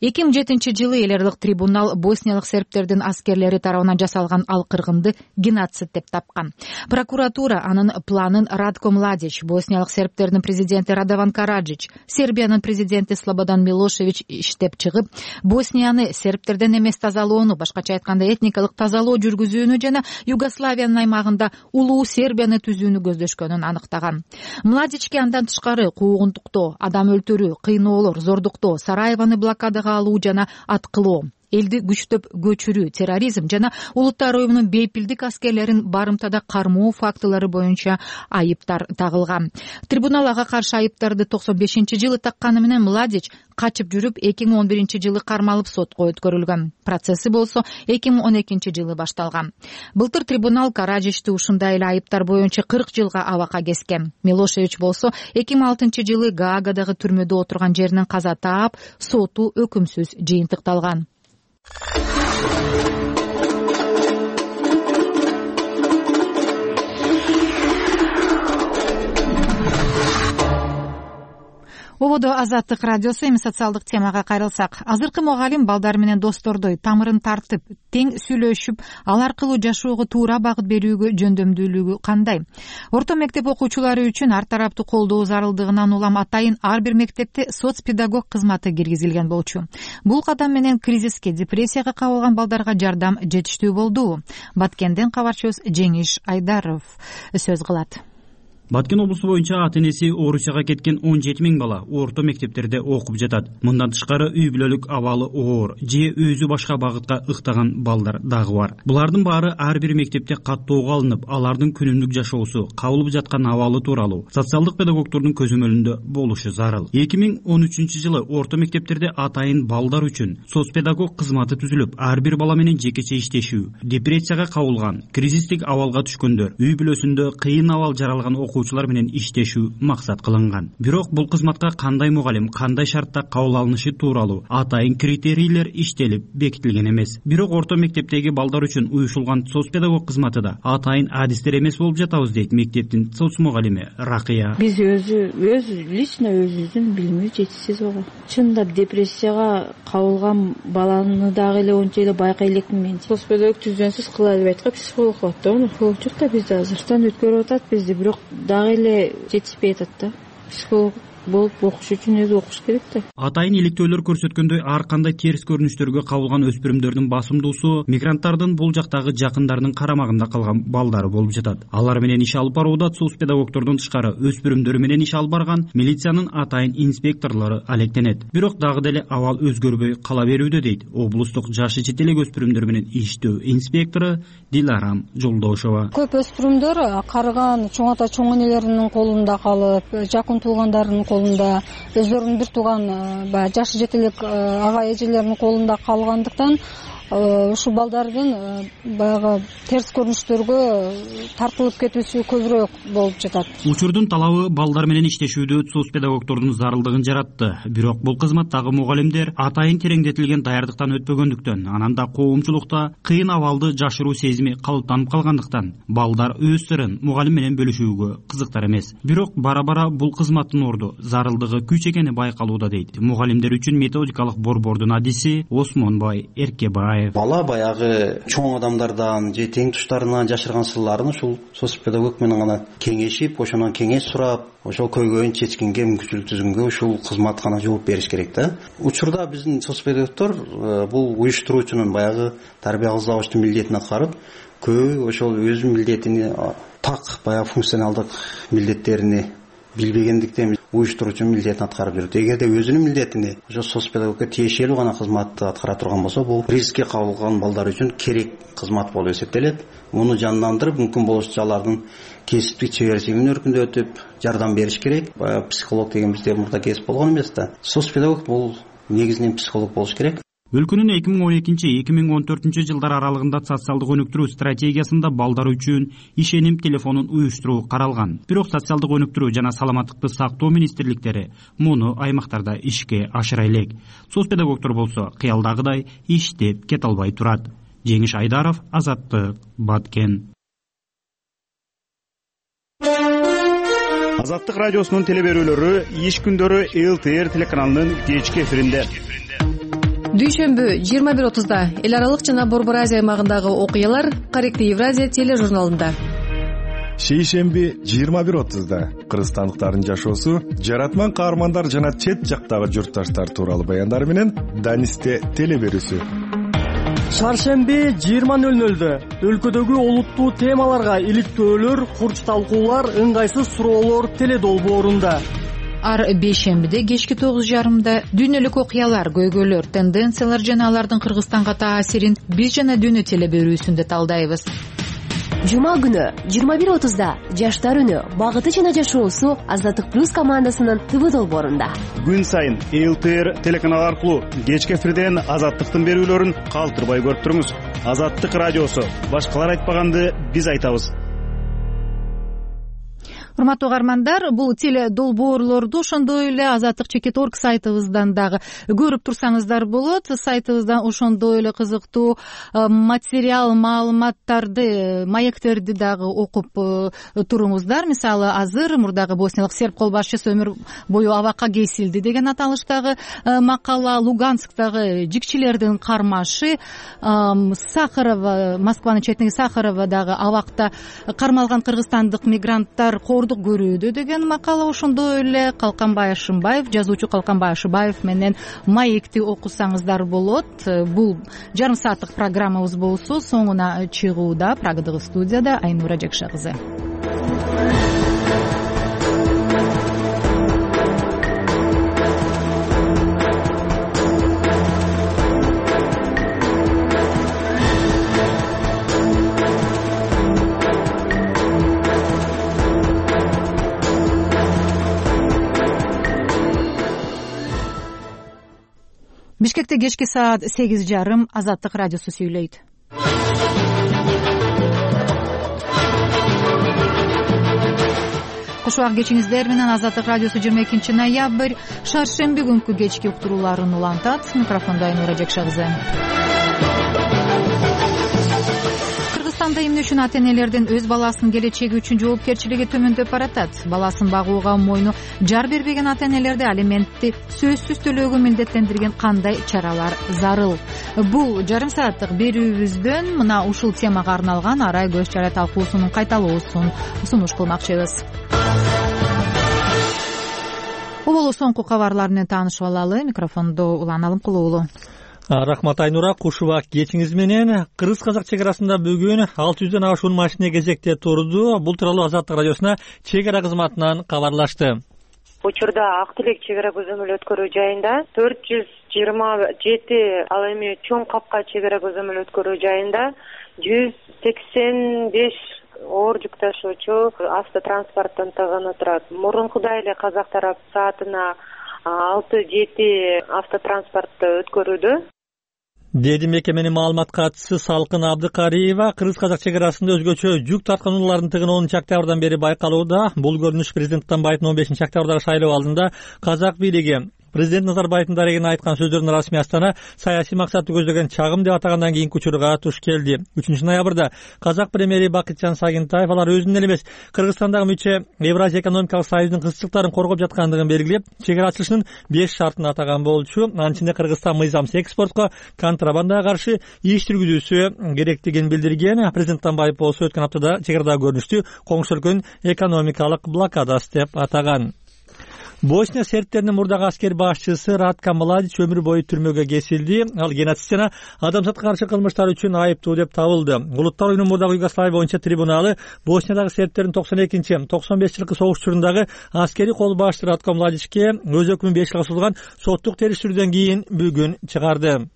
эки миң жетинчи жылы эл аралык трибунал босниялык сербтердин аскерлери тарабынан жасалган ал кыргынды геноцид деп тапкан. Прокуратура анын планын Радко Младич, босниялык сербтердин президенти Радован Караджич, Сербиянын президенти Слободан Милошевич иштеп чыгып, Боснияны сербтерден эмес тазалоону, башкача айтканда этникалык тазалоо жүргүзүүнү жана Югославиянын аймагында улуу Сербияны түзүүнү көздөшкөнүн аныктаган. Младичке андан тышкары куугунтуктоо, адам өлтүрүү, кыйноолор, зордуктоо, Сараевону блокадага алуу жана аткылоо, элди күчтөп көчүрүү, терроризм жана улуттар уюмунун бейпилдик аскерлерин барымтада кармоо фактылары боюнча айыптар тагылган. Трибунал ага каршы айыптарды токсон бешинчи жылы такканы менен Младич качып жүрүп эки миң он биринчи жылы кармалып сотко өткөрүлгөн. Процесси болсо эки миң он экинчи жылы башталган. Былтыр трибунал Караджичти ушундай эле айыптар боюнча кырк жылга абакка кескен. Милошевич болсо эки миң алтынчы жылы Гаагадагы түрмөдө отурган жеринен каза таап, соту өкүмсүз жыйынтыкталган. ободо Азаттык радиосу. Эми социалдык темага кайрылсак, азыркы мугалим балдар менен достордой тамырын тартып, тең сүйлөшүп, ал аркылуу жашоого туура багыт берүүгө жөндөмдүүлүгү кандай? Орто мектеп окуучулары үчүн ар тараптуу колдоо зарылдыгынан улам атайын ар бир мектепте соц педагог кызматы киргизилген болчу. Бул кадам менен кризиске, депрессияга кабылган балдарга жардам жетиштүү болду. Баткенден кабарчыбыз Жеңиш Айдаров сөз кылат. Баткен облусу боюнча ата энеси Орусияга кеткен он жети миң бала орто мектептерде окуп жатат. Мындан тышкары үй бүлөлүк абалы оор же өзү башка багытка ыктаган балдар дагы бар. Булардын баары ар бир мектепте каттоого алынып, алардын күнүмдүк жашоосу, кабылып жаткан абалы тууралуу социалдык педагогдордун көзөмөлүндө болушу зарыл. эки миң он үчүнчү жылы орто мектептерде атайын балдар үчүн соц педагог кызматы түзүлүп, ар бир бала менен жекече иштешүү, депрессияга кабылган, кризистик абалга түшкөндөр, үй бүлөсүндө кыйын абал жаралган окуучулар менен иштешүү максат кылынган. Бирок бул кызматка кандай мугалим, кандай шартта кабыл алынышы тууралуу атайын критерийлер иштелип бекитилген эмес. Бирок орто мектептеги балдар үчүн уюшулган соц педагог кызматы да атайын адистер эмес болуп жатабыз дейт мектептин соц мугалими Ракыя. Биз өзү өз лично өзүбүздүн билими жетишсиз болгон. Чындап депрессияга кабылган баланы дагы эле ончо эле байкай элекмин мен. Соц педагог түздөнсүз кыла албайт го, психолог болот да. Психолог жок да бизде азыртан өткөрүп атат бизди, бирок дагы эле жетишпей атат да. Психолог болуп окуш үчүн өзү окуш керек да. Атайын иликтөөлөр көрсөткөндөй, ар кандай терс көрүнүштөргө кабылган өспүрүмдөрдүн басымдуусу мигранттардын бул жактагы жакындарынын карамагында калган балдары болуп жатат. Алар менен иш алып барууда соц педагогдордон тышкары өспүрүмдөр менен иш алып барган милициянын атайын инспекторлору алектенет. Бирок дагы деле абал өзгөрбөй кала берүүдө дейт облустук жашы чет элек өспүрүмдөр менен иштөө инспектору Диларам Жолдошова. Көп өспүрүмдөр карыган чоң ата чоң энелеринин колунда калып, жакын туугандарынын колунда, өздөрүнүн бир тууган баягы жашы жет элек ага эжелеринин колунда калгандыктан ушул балдардын баягы терс көрүнүштөргө тартылып кетүүсү көбүрөөк болуп жатат. Учурдун талабы балдар менен иштешүүдө соц педагогдордун зарылдыгын жаратты. Бирок бул кызматтагы мугалимдер атайын тереңдетилген даярдыктан өтпөгөндүктөн, анан да коомчулукта кыйын абалды жашыруу сезими калыптанып калгандыктан балдар өз сырын мугалим менен бөлүшүүгө кызыктар эмес. Бирок бара-бара бул кызматтын орду, зарылдыгы күч экени байкалууда дейт мугалимдер үчүн методикалык борбордун адиси Осмонбай Эркебаев. Бала баягы чоң адамдардан же тең туштарынан жашырган сырларын ушул соц педагог менен гана кеңешип, ошондон кеңеш сурап, ошол көйгөйүн чечкенге, мүмкүнчүлүк түзгөнгө ушул кызмат гана жооп бериш керек да. Учурда биздин соц педагогдор бул уюштуруучунун баягы тарбия кыздаучунун милдетин аткарып, көбү ошол өз милдетини так баягы функционалдык милдеттерини билбегендиктен уюштуруучу милдетин аткарып жүрөт. Эгерде өзүнүн милдетини ошо соц педагогко тиешелүү гана кызматты аткара турган болсо, бул рискке кабылган балдар үчүн керек кызмат болуп эсептелет. Муну жандандырып, мүмкүн болушунча алардын кесиптик чеберчилигин өркүндөтүп, жардам бериш керек. Психолог деген бизде мурда кесип болгон эмес да. Соц педагог бул негизинен психолог болуш керек. Өлкөнүн эки миң он экинчи — эки миң он төртүнчү жылдар аралыгында социалдык өнүктүрүү стратегиясында балдар үчүн ишеним телефонун уюштуруу каралган. Бирок социалдык өнүктүрүү жана саламаттыкты сактоо министрликтери муну аймактарда ишке ашыра элек. Соц педагогдор болсо кыялдагыдай иштеп кете албай турат. Жеңиш Айдаров, Азаттык, Баткен. Азаттык радиосунун телеберүүлөрү иш күндөрү эл тэ эр телеканалынын кечки эфиринде. Дүйшөмбү жыйырма бир отузда эл аралык жана Борбор Азия аймагындагы окуялар Корректив Евразия тележурналында. Шейшемби жыйырма бир отузда кыргызстандыктардын жашоосу, жаратман каармандар жана чет жактагы журтташтар тууралуу баяндар менен Данисте телеберүүсү. Шаршемби жыйырма нөл нөлдө өлкөдөгү олуттуу темаларга иликтөөлөр, курч талкуулар, ыңгайсыз суроолор теледолбоорунда. Ар бейшембиде кечки тогуз жарымда дүйнөлүк окуялар, көйгөйлөр, тенденциялар жана алардын Кыргызстанга таасирин биз жана дүйнө телеберүүсүндө талдайбыз. Жума күнү жыйырма бир отузда жаштар үнү, багыты жана жашоосу Азаттык плюс командасынын ТВ долбоорунда. Күн сайын эл тэ эр телеканалы аркылуу кечки эфирден Азаттыктын берүүлөрүн калтырбай көрүп туруңуз. Азаттык радиосу, башкалар айтпаганды биз айтабыз. урматтуу угармандар, бул теле долбоорлорду ошондой эле азаттык чекит орг сайтыбыздан дагы көрүп турсаңыздар болот. Сайтыбыздан ошондой эле кызыктуу материал, маалыматтарды, маектерди дагы окуп туруңуздар. Мисалы, азыр мурдагы босниялык серб кол башчысы өмүр бою абакка кесилди деген аталыштагы макала, Луганскдагы жикчилердин кармашы, Сахарова, Москванын четинеги Сахаровадагы абакта кармалган кыргызстандык мигранттар коордук көрүүдө деген макала, ошондой эле Калканбай Ашымбаев, жазуучу Калканбай Ашымбаев менен маекти окусаңыздар болот. Бул жарым сааттык программабыз болсо соңуна чыгууда. Прагадагы студияда Айнура Жакша кызы. Бишкекте кечки саат сегиз жарым. Азаттык радиосу сүйлөйт. Куш убак кечиңиздер менен. Азаттык радиосу жыйырма экинчи ноябрь шаршемби күнкү кечки уктурууларын улантат. Микрофондо Айнура Жакша кызы. Кыргызстанда эмне үчүн ата энелердин өз баласынын келечеги үчүн жоопкерчилиги төмөндөп баратат? Баласын багууга мойну жар бербеген ата энелерди алиментти сөзсүз төлөөгө милдеттендирген кандай чаралар зарыл? Бул жарым сааттык берүүбүздөн мына ушул темага арналган арай көз чара талкуусунун кайталоосун сунуш кылмакчыбыз. Убулу соңку кабарлар менен таанышып алалы. Микрофондо Улан Алымкулуу. Рахмат Айнура, куш убак кечиңиз менен. Кыргыз-казак чек арасында бүгүн алты жүздөн ашуун машина кезекте турду. Бул тууралуу Азаттык радиосуна чек ара кызматынан кабарлашты. Учурда Ак Тилек чек ара көзөмөл өткөрүү жайында төрт жүз жыйырма жети, ал эми Чоң Капка чек ара көзөмөл өткөрүү жайында жүз сексен беш оор жүк ташуучу автотранспорттун тыгыны турат. Мурункудай эле казак тарап саатына алты жети автотранспортто өткөрүүдө, деди мекеменин маалымат катчысы Салкын Абдыкариева. Кыргыз-казак чек арасында өзгөчө жүк тарткан унаалардын тыгыны онунчу октябрдан бери байкалууда. Бул көрүнүш президент Атамбаевдин он бешинчи октябрдагы шайлоо алдында казак бийлиги президент Назарбаевдин дарегине айткан сөздөрүн расмий Астана саясий максатты көздөгөн чагым деп атагандан кийинки учурга туш келди. үчүнчү ноябрда казак премьери Бакытжан Сагынтаев алар өзүнүн эле эмес, Кыргызстандагы мүчө Евразия экономикалык союзунун кызыкчылыктарын коргоп жаткандыгын белгилеп, чек ара ачылышынын беш шартын атаган болчу. Анын ичинде Кыргызстан мыйзамсыз экспортко, контрабандага каршы иш жүргүзүүсү керектигин билдирген. Президент Атамбаев болсо өткөн аптада чек арада көрүнүштү коңшу өлкөнүн экономикалык блокадасы деп атаган. Босния сербтеринин мурдагы аскер башчысы Ратко Младич өмүр бою түрмөгө кесилди. Ал геноцид жана адамзатка каршы кылмыштар үчүн айыптуу деп табылды. Улуттар оюнунун мурдагы Югославия боюнча трибуналы Босниядагы сербтердин токсон экинчи токсон беш жылкы согуш учурундагы аскери кол башчы Ратко Младичке өз өкүмүн беш жылга созулган соттук териштирүүдөн кийин бүгүн чыгарды.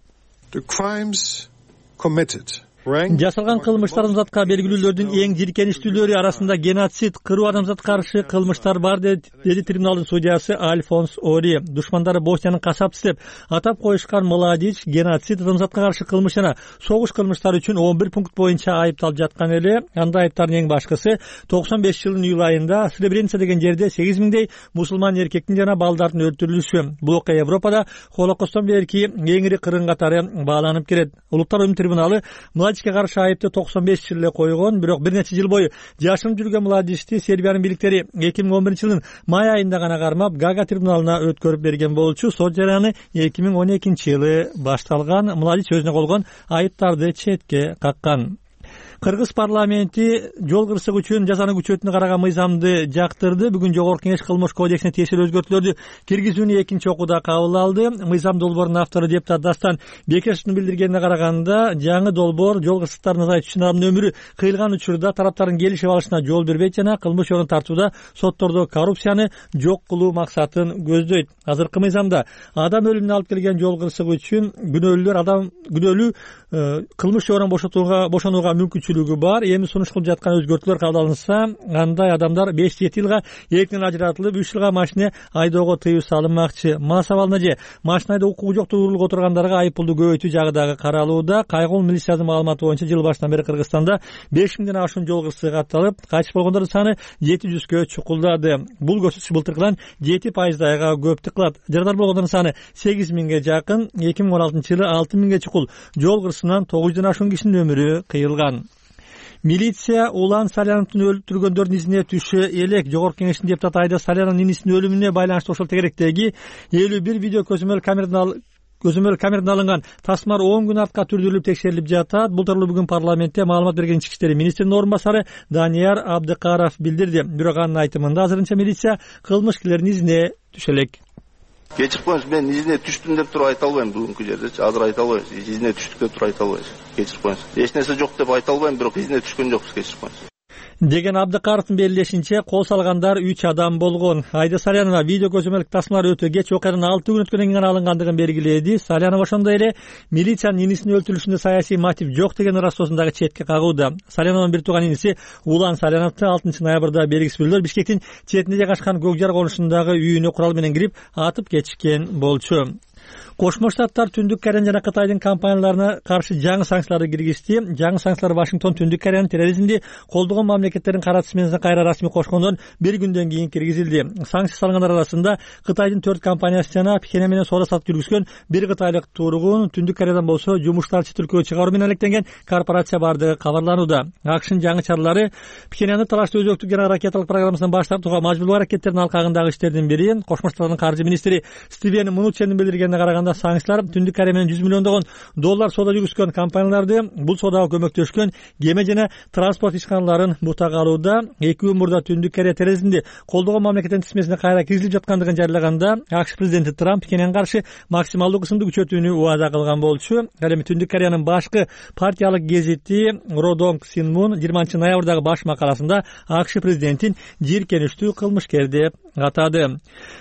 Жасалган кылмыштар адамзатка белгилүүлөрдүн эң жийиркеничтүүлөрү арасында геноцид, кыруу, адамзатка каршы кылмыштар бар, деди трибуналдын судьясы Альфонс Ори. Душмандары Босниянын касапчысы деп атап коюшкан Младич геноцид, адамзатка каршы кылмыш жана согуш кылмыштары үчүн он бир пункт боюнча айыпталып жаткан эле. Анда айыптардын эң башкысы токсон беш жылдын июль айында Сребреница деген жерде сегиз миңдей мусулман эркектин жана балдардын өлтүрүлүшү. Бул окуя Европада Холокосттон берки эң ири кырын катары бааланып келет. Улуттар оюнунун трибуналы Младичке каршы айыпты токсон беш жыл эле койгон, бирок бир нече жыл бою жашынып жүргөн Младичти Сербиянын бийликтери эки миң он биринчи жылдын май айында гана кармап, Гага трибуналына өткөрүп берген болчу. Сот жараны эки миң он экинчи жылы башталган. Младич өзүнө койгон айыптарды четке каккан. Кыргыз парламенти жол кырсык үчүн жазаны күчөтүүнү караган мыйзамды жактырды. Бүгүн Жогорку Кеңеш кылмыш кодексине тиешелүү өзгөртүүлөрдү киргизүүнү экинчи окууда кабыл алды. Мыйзам долбоорунун автору депутат Дастан Бекешевдин билдиргенине караганда, жаңы долбоор жол кырсыктарын азайтуу үчүн адамдын өмүрү кыйылган учурда тараптардын келишип алышына жол бербейт жана кылмыш жолун тартууда соттордо коррупцияны жок кылуу максатын көздөйт. Азыркы мыйзамда адам өлүмүнө алып келген жол кырсыгы үчүн күнөөлүүлөр адам күнөөлүү кылмыш жолунан бошотууга бошонууга мүмкүнчүлүк мүмкүнчүлүгү бар. Эми сунуш кылып жаткан өзгөртүүлөр кабыл алынса, андай адамдар беш жети жылга эркинен ажыратылып, үч жылга машина айдоого тыюу салынмакчы. Мас абалына же машина айдоо укугу жок турулук отургандарга айыппулду көбөйтүү жагы дагы каралууда. Кайгыл милициянын маалыматы боюнча жыл башынан бери Кыргызстанда беш миңден ашуун жол кырсыгы катталып, кайтыш болгондордун саны жети жүзгө чукулдады. Бул көрсөткүч былтыркыдан жети пайыздайга көптүк кылат. Жарадар болгондордун саны сегиз миңге жакын. эки миң он алтынчы жылы алты миңге чукул жол кырсыгынан тогуз жүздөн ашуун кишинин өмүрү кыйылган. Милиция Улан Саляновдун өлтүргөндөрдүн изине түшө элек. Жогорку кеңештин депутаты Айда Саляновдун инисинин өлүмүнө байланыштуу ошол тегеректеги элүү бир видео көзөмөл камерадан көзөмөл камерадан алынган тасмалар он күн артка түрдүрүлүп текшерилип жатат. Бул тууралуу бүгүн парламентте маалымат берген ички иштер министринин орун басары Данияр Абдыкаров билдирди. Бирок анын айтымында азырынча милиция кылмышкерлердин изине түшө элек. Кечирип коюңуз, мен изине түштүм деп туруп айта албайм бүгүнкү жердечи. Азыр айта албайм. Изине түштүк деп туруп айта албайм. Кечирип коюңуз. Эч нерсе жок деп айта албайм, бирок изине түшкөн жокпуз, кечирип коюңуз. Деген Абдыкаровдун белгилешинче, кол салгандар үч адам болгон. Айда Салянова видео көзөмөлдүк тасмалар өтө кеч окуядан алты күн өткөндөн кийин алынгандыгын белгиледи. Салянова ошондой эле милициянын инисинин өлтүрүлүшүндө саясий мотив жок деген ырастоосун дагы четке кагууда. Салянованын бир тууган иниси Улан Саляновду алтынчы ноябрда белгисиз бирөөлөр Бишкектин четинде жайгашкан Көк жар конушундагы үйүнө курал менен кирип атып кетишкен болчу. Кошмо Штаттар Түндүк Корея жана Кытайдын компанияларына каршы жаңы санкцияларды киргизди. Жаңы санкциялар Вашингтон Түндүк Кореянын терроризмди колдогон мамлекеттердин каратысы менен кайра расмий кошкондон бир күндөн кийин киргизилди. Санкция салгандар арасында Кытайдын төрт компаниясы жана Пхеньян менен соода сатып жүргүзгөн бир кытайлык тургун, Түндүк Кореядан болсо жумуштарчы тилкөө чыгаруу менен алектенген корпорация бардыгы кабарланууда. АКШнын жаңы чаралары Пхеньянды талашты өзөктүк жана ракеталык программасынан баш тартууга мажбурлоо аракеттеринин алкагындагы иштердин бири. Кошмо Штаттардын каржы министри Стивен Мнучендин билдиргенине караганда, санкциялар Түндүк Корея менен жүз миллиондогон доллар соода жүргүзгөн компанияларды, бул соодага көмөктөшкөн кеме жана транспорт ишканаларын бутага алууда. Эки күн мурда Түндүк Корея терроризмди колдогон мамлекеттин тизмесине кайра киргизилип жаткандыгын жарыялаганда, АКШ президенти Трамп Пхеньянга каршы максималдуу кысымды күчөтүүнү убада кылган болчу. Ал эми Түндүк Кореянын башкы партиялык гезити Родонг Синмун жыйырманчы ноябрдагы баш макаласында АКШ президентин жийиркеничтүү кылмышкер деп атады.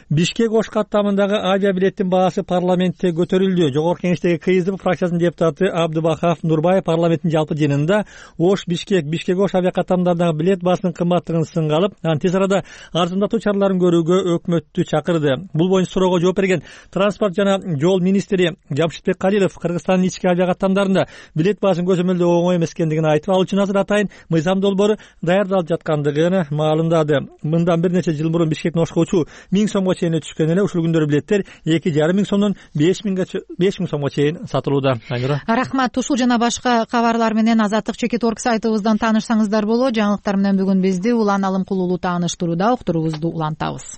Бишкек Ош каттамындагы авиабилеттин баасы парламентте көтөрүлдү. Жогорку кеңештеги КСДП фракциясынын депутаты Абдыбахав Нурбаев парламенттин жалпы жыйынында Ош Бишкек Бишкек Ош авиакаттамдарындагы билет баасынын кымбаттыгын сынга алып, анын тез арада арзандатуу чараларын көрүүгө өкмөттү чакырды. Бул боюнча суроого жооп берген транспорт жана жол министри Жамшитбек Калилов Кыргызстандын ички авиакаттамдарында билет баасын көзөмөлдөө оңой эмес экендигин айтып, ал үчүн азыр атайын мыйзам долбоору даярдалып жаткандыгын маалымдады. Мындан бир нече жыл мурун Бишкектен Ошко учуу миң сомго чейин түшкөн эле. Ушул күндөрү билеттер эки жарым миң сомдон беш миң сомго чейин сатылууда. Рахмат. Ушул жана башка кабарлар менен Азаттык чекит орг сайтыбыздан таанышсаңыздар болот. Жаңылыктар менен бүгүн бизди Улан Алымкулуулу тааныштырууда. Уктуруубузду улантабыз.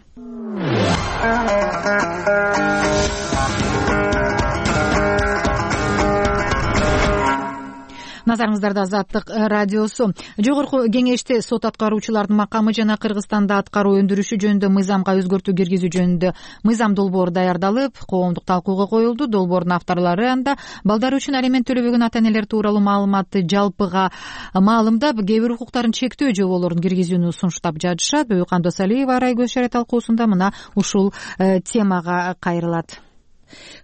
Назарыңыздарда Азаттык радиосу. Жогорку кеңеште сот аткаруучулардын макамы жана Кыргызстанда аткаруу өндүрүшү жөнүндө мыйзамга өзгөртүү киргизүү жөнүндө мыйзам долбоору даярдалып, коомдук талкууга коюлду. Долбоордун авторлору анда балдары үчүн алимент төлөбөгөн ата-энелер тууралуу маалыматты жалпыга маалымдап, кээ бир укуктарын чектөө жоболорун киргизүүнү сунуштап жатышат. Бөйкан Досалиева Арайгөз Шаре талкуусунда мына ушул темага кайрылат.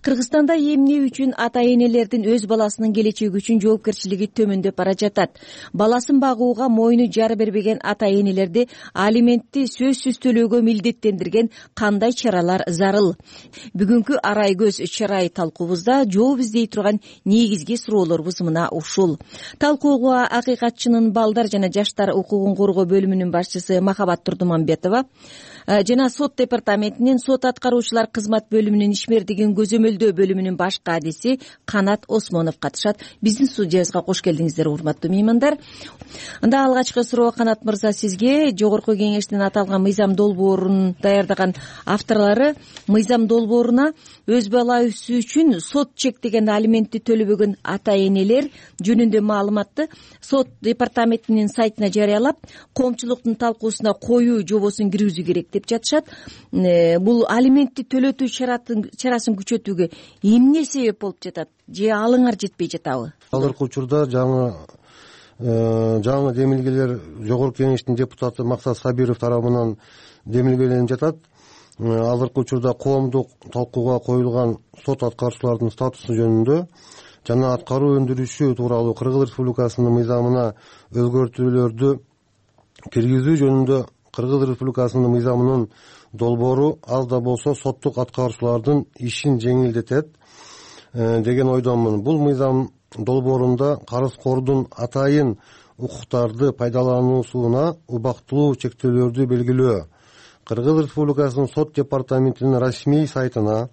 Кыргызстанда эмне үчүн ата-энелердин өз баласынын келечеги үчүн жоопкерчилиги төмөндөп бара жатат? Баласын багууга мойну жара бербеген ата-энелерди алиментти сөзсүз төлөөгө милдеттендирген кандай чаралар зарыл? Бүгүнкү Арайгөз Чарай талкуубузда жооп издей турган негизги суроолорубуз мына ушул. Талкууга Акыйкатчынын балдар жана жаштар укугун коргоо бөлүмүнүн башчысы Махабат Турдуманбетова жана сот департаментинин сот аткаруучулар кызмат бөлүмүнүн ишмердигин көзөмөлдөө бөлүмүнүн баш кадиси Канат Осмонов катышат. Биздин студиябызга кош келдиңиздер, урматтуу меймандар. Анда алгачкы суроо Канат мырза сизге. Жогорку кеңештин аталган мыйзам долбоорун даярдаган авторлору мыйзам долбооруна өз баласы үчүн сот чектеген алиментти төлөбөгөн ата-энелер жөнүндө маалыматты сот департаментинин сайтына жарыялап, коомчулуктун талкуусуна коюу жобосун киргизүү керек деп жатышат. Бул алиментти төлөтүү чарасын күчөтүүгө эмне себеп болуп жатат? Же алыңар жетпей жатабы? Азыркы учурда жаңы жаңы демилгелер жогорку кеңештин депутаты Максат Сабиров тарабынан демилгеленип жатат. азыркы учурда коомдук талкууга коюлган сот аткаруучулардын статусу жөнүндө жана аткаруу өндүрүшү тууралуу Кыргыз Республикасынын мыйзамына өзгөртүүлөрдү киргизүү жөнүндө Кыргыз Республикасынын мыйзамынын долбоору аз да болсо соттук аткаруучулардын ишин жеңилдетет деген ойдомун. Бул мыйзам долбоорунда карызкордун атайын укуктарды пайдалануусуна убактылуу чектөөлөрдү белгилөө, Кыргыз Республикасынын сот департаментинин расмий сайтына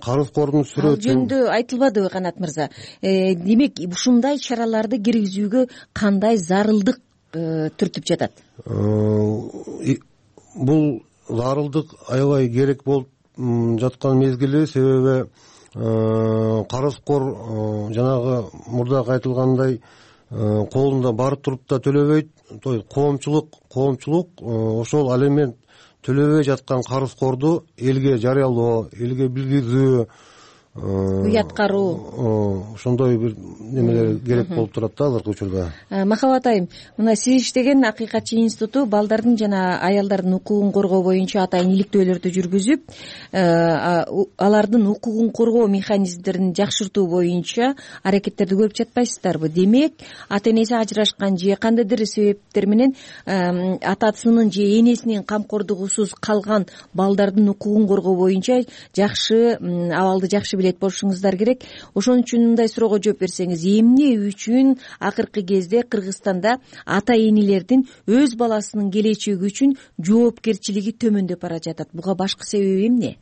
карызкордун сүрөтүн жөнүндө айтылбадыбы Канат мырза? Демек ушундай чараларды киргизүүгө кандай зарылдык түртүп жатат? Бул зарылдык аябай керек болуп жаткан мезгили, себеби карызкор жанагы мурдагы айтылгандай колунда барып туруп да төлөбөйт. Коомчулук коомчулук ошол алимент төлөбөй жаткан карызкорду элге жарыялоо, элге билгизүү, уяткаруу, ошондой бир немелер керек болуп турат да азыркы учурда. Махабат айым, мына сиз иштеген Акыйкатчы институту балдардын жана аялдардын укугун коргоо боюнча атайын иликтөөлөрдү жүргүзүп, алардын укугун коргоо механизмдерин жакшыртуу боюнча аракеттерди көрүп жатпайсыздарбы? Демек, ата энеси ажырашкан же кандайдыр себептер менен атасынын же энесинин камкордугусуз калган балдардын укугун коргоо боюнча жакшы абалды жакшы билет болушуңуздар керек. Ошон үчүн мындай суроого жооп берсеңиз, эмне үчүн акыркы кезде Кыргызстанда ата энелердин өз баласынын келечеги үчүн жоопкерчилиги төмөндөп бара жатат? Буга башкы себеби эмне?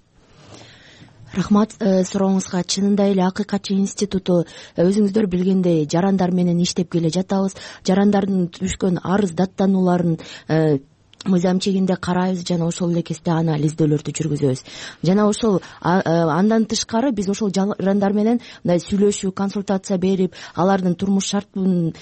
Рахмат сурооңузга. Чынында эле Акыйкатчы институту өзүңүздөр билгендей жарандар менен иштеп келе жатабыз. Жарандардын түшкөн арыз даттанууларын мыйзам чегинде карайбыз жана ошол эле кезде анализдөөлөрдү жүргүзөбүз. Жана ошол андан тышкары биз ошол жарандар менен мындай сүйлөшүү, консультация берип, алардын турмуш шартын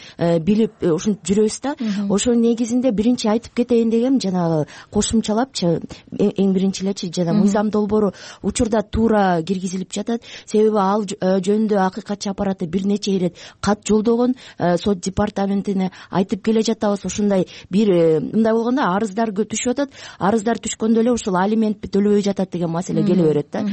билип ушинтип жүрөбүз да. Ошонун негизинде биринчи айтып кетейин дегем, жана кошумчалапчы, эң биринчилечи жана мыйзам долбоору учурда туура киргизилип жатат. Себеби ал жөнүндө Акыйкатчы аппараты бир нече ирет кат жолдогон, сот департаментине айтып келе жатабыз. Ошондой бир мындай болгондо арыз арыздар түшүп атат. Арыздар түшкөндө эле ушул алимент төлөбөй жатат деген маселе келе берет да.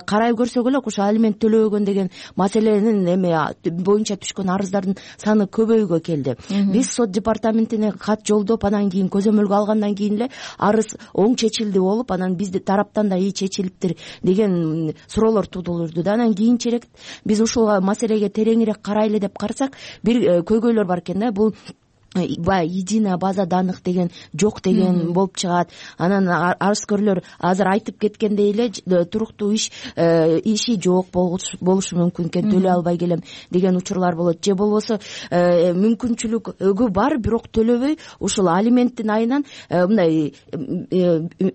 Карайып көрсөк эле ушул алимент төлөбөгөн деген маселенин эме боюнча түшкөн арыздардын саны көбөйгө келди. Биз сот департаментине кат жолдоп, анан кийин көзөмөлгө алгандан кийин эле арыз оң чечилди болуп, анан бизди тараптан да ий чечилиптир деген суроолор туудурду да. Анан кийинчерээк биз ушул маселеге тереңирээк карайлы деп карасак, бир көйгөйлөр бар экен да. Бул баягы единая база данных деген жок деген болуп чыгат. Анан арызкөрлөр азыр айтып кеткендей эле туруктуу иш иши жок болушу мүмкүн экен, төлөй албай келем деген учурлар болот. Же болбосо мүмкүнчүлүгү бар, бирок төлөбөй ушул алименттин айынан мындай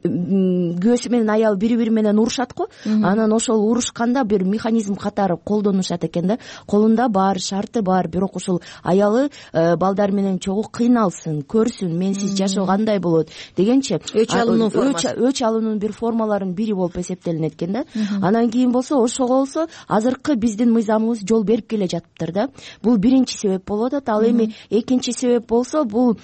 күйөөсү менен аялы бири бири менен урушат го. Анан ошол урушканда бир механизм катары колдонушат экен да. Колунда бар, шарты бар, бирок ошол аялы балдар менен кыйналсын, көрсүн, менсиз жашоо кандай болот дегенчи өч алуунун формасы, өч алуунун бир формаларынын бири болуп эсептелинет экен да. Анан кийин болсо ошого болсо азыркы биздин мыйзамыбыз жол берип келе жатыптыр да. Бул биринчи себеп болуп атат. Ал эми экинчи себеп болсо, бул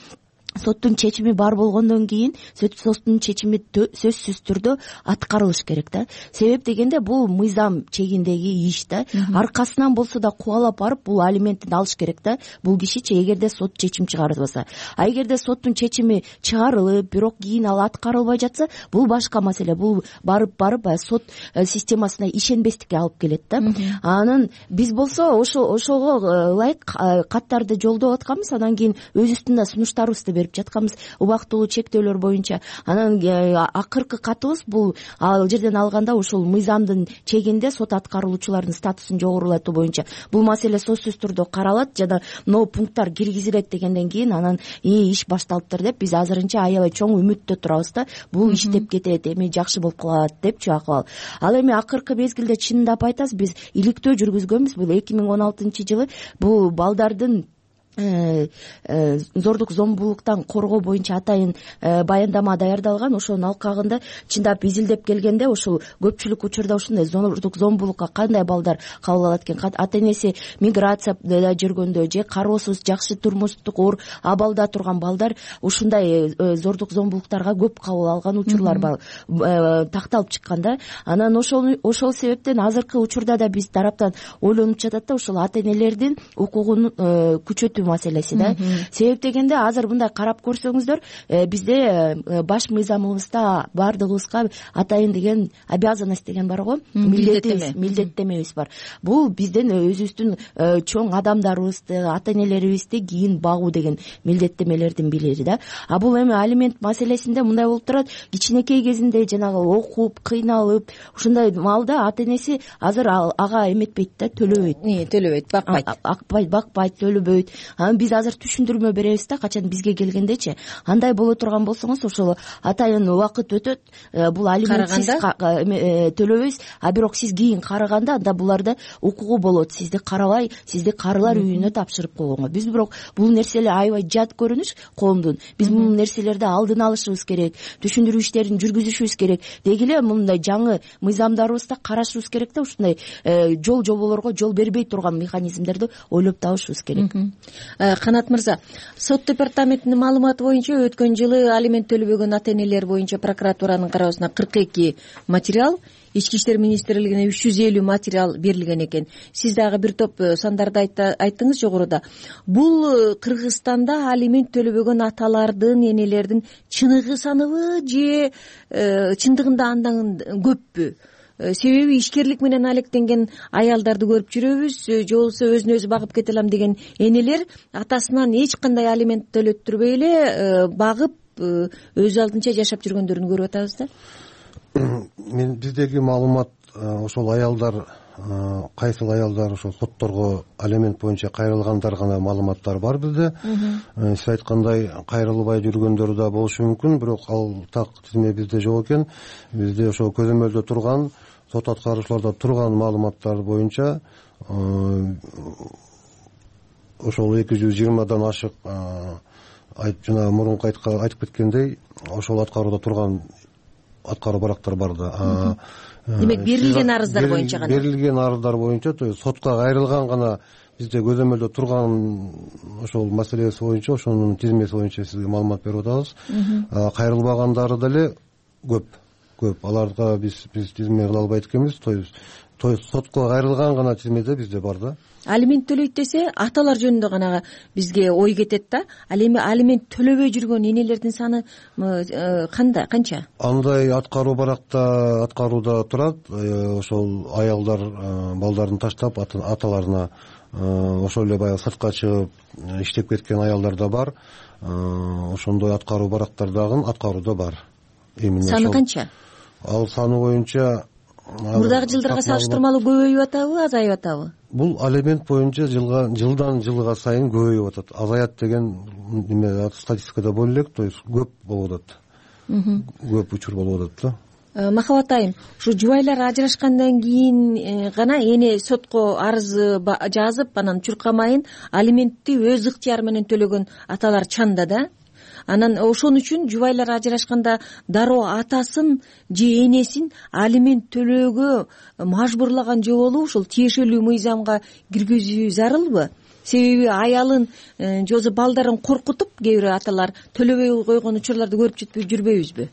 соттун чечими бар болгондон кийин соттун чечими сөзсүз түрдө аткарылыш керек да. Себеп дегенде бул мыйзам чегиндеги иш да. Аркасынан болсо да кубалап барып бул алиментин алыш керек да. Бул кишичи эгерде сот чечим чыгарбаса. А эгерде соттун чечими чыгарылып, бирок кийин ал аткарылбай жатса, бул башка маселе. Бул барып барып сот системасына ишенбестикке алып келет да. Анан биз болсо ошо ошого ылайык каттарды жолдоп атканбыз. Анан кийин өз үстүндө сунуштарыбызды берип жатканбыз убактылуу чектөөлөр боюнча. Анан акыркы катыбыз бул ал жерден алганда ушул мыйзамдын чегинде сот аткаруучулардын статусун жогорулатуу боюнча бул маселе сөзсүз түрдө каралат жана могу пункттар киргизилет дегенден кийин анан иш башталыптыр деп биз азырынча аябай чоң үмүттө турабыз да. Бул иштеп кетет, эми жакшы болуп калат депчи акыбал. Ал эми акыркы мезгилде чындап айтасыз, биз иликтөө жүргүзгөнбүз. Бул эки миң он алтынчы жылы бул балдардын зордук зомбулуктан коргоо боюнча атайын баяндама даярдалган. Ошонун алкагында чындап изилдеп келгенде ушул көпчүлүк учурда ушундай зордук зомбулукка кандай балдар кабыл алат экен, ата энеси миграцияда жүргөндө же кароосуз жакшы турмуштук оор абалда турган балдар ушундай зордук зомбулуктарга көп кабыл алган учурлар бар, такталып чыккан да. Анан ошол ошол себептен азыркы учурда да биз тараптан ойлонуп жатат да, ушул ата энелердин укугун күчөтүү маселеси да. Себеп дегенде азыр мындай карап көрсөңүздөр, бизде баш мыйзамыбызда баардыгыбызга атайын деген обязанность деген бар го, милдеттемебиз бар. Бул биздин өзүбүздүн чоң адамдарыбызды, ата энелерибизди кийин багуу деген милдеттемелердин бири да. А бул эми алимент маселесинде мындай болуп турат, кичинекей кезинде жанагы окуп, кыйналып, ушундай маалда ата энеси азыр ага эметпейт да, төлөбөйт. Төлөбөйт, бакпайт. Акпайт, бакпайт, төлөбөйт. Анан биз азыр түшүндүрмө беребиз да, качан бизге келгендечи. Андай боло турган болсоңуз, ошол атайын убакыт өтөт, бул алиментсиз төлөбөйсүз, а бирок сиз кийин карыганда анда буларда укугу болот, сизди карабай, сизди карылар үйүнө тапшырып койгонго. Биз бирок бул нерселер аябай жат көрүнүш коомдун. Биз бул нерселерди алдын алышыбыз керек, түшүндүрүү иштерин жүргүзүшүбүз керек. Деги эле мындай жаңы мыйзамдарыбызда карашыбыз керек да, ушундай жол жоболорго жол бербей турган механизмдерди ойлоп табышыбыз керек. Канат мырза, сот департаментинин маалыматы боюнча өткөн жылы алимент төлөбөгөн ата энелер боюнча прокуратуранын кароосуна кырк эки материал, Ички иштер министрлигине үч жүз элүү материал берилген экен. Сиз дагы бир топ сандарды айттыңыз жогоруда. Бул Кыргызстанда алимент төлөбөгөн аталардын, энелердин чыныгы саныбы же чындыгында андан көппү? Себеби ишкерлик менен алектенген аялдарды көрүп жүрөбүз, же болбосо өзүн өзү багып кете алам деген энелер атасынан эч кандай алимент төлөттүрбөй эле багып өз алдынча жашап жүргөндөрүн көрүп атабыз да. Мен биздеги маалымат ошол аялдар, кайсыл аялдар ошол сотторго алимент боюнча кайрылгандар гана маалыматтар бар bizde. Сиз айткандай кайрылбай жүргөндөр да болушу мүмкүн, бирок ал так тизме бизде жок экен. Бизде ошол көзөмөлдө турган, сот аткаруучуларда турган маалыматтар боюнча ошол эки жүз жыйырмадан ашык жана мурунку айтып кеткендей, ошол аткарууда турган аткаруу барактар бар да. Демек берилген арыздар боюнча гана. Берилген арыздар боюнча, то есть сотко кайрылган гана бизде көзөмөлдө турган ошол маселеси боюнча, ошонун тизмеси боюнча сизге маалымат берип атабыз. Кайрылбагандары деле көп. Көп. Аларга биз биз тизме кыла албайт экенбиз. То есть то есть сотко кайрылган гана тизмеде бизде бар да. Алимент төлөйт десе, аталар жөнүндө гана бизге ой кетет да. Ал эми алимент төлөбөй жүргөн энелердин саны кандай, канча? Андай аткаруу баракта аткарууда турат. Ошол аялдар балдарын таштап аталарына ошол эле баягы сыртка чыгып иштеп кеткен аялдар да бар. Ошондой аткаруу барактар дагы аткарууда бар. Саны канча? Ал саны боюнча мурдагы жылдарга салыштырмалуу көбөйүп атабы, азайып атабы? Бул алимент боюнча жылга жылдан жылга сайын көбөйүп атат. Азаят деген неме статистикада боло элек, то есть көп болуп атат. Көп учур болуп атат да. Махабат айым, ушу жубайлар ажырашкандан кийин гана эне сотко арыз жазып, анан чуркамайын алиментти өз ыктыяры менен төлөгөн аталар чанда да. Анан ошон үчүн жубайлар ажырашканда дароо атасын же энесин алимент төлөөгө мажбурлаган жоболу ушул тиешелүү мыйзамга киргизүү зарылбы? Себеби аялын же болбосо балдарын коркутуп кээ бир аталар төлөбөй койгон учурларды көрүп жүрбөйбүзбү?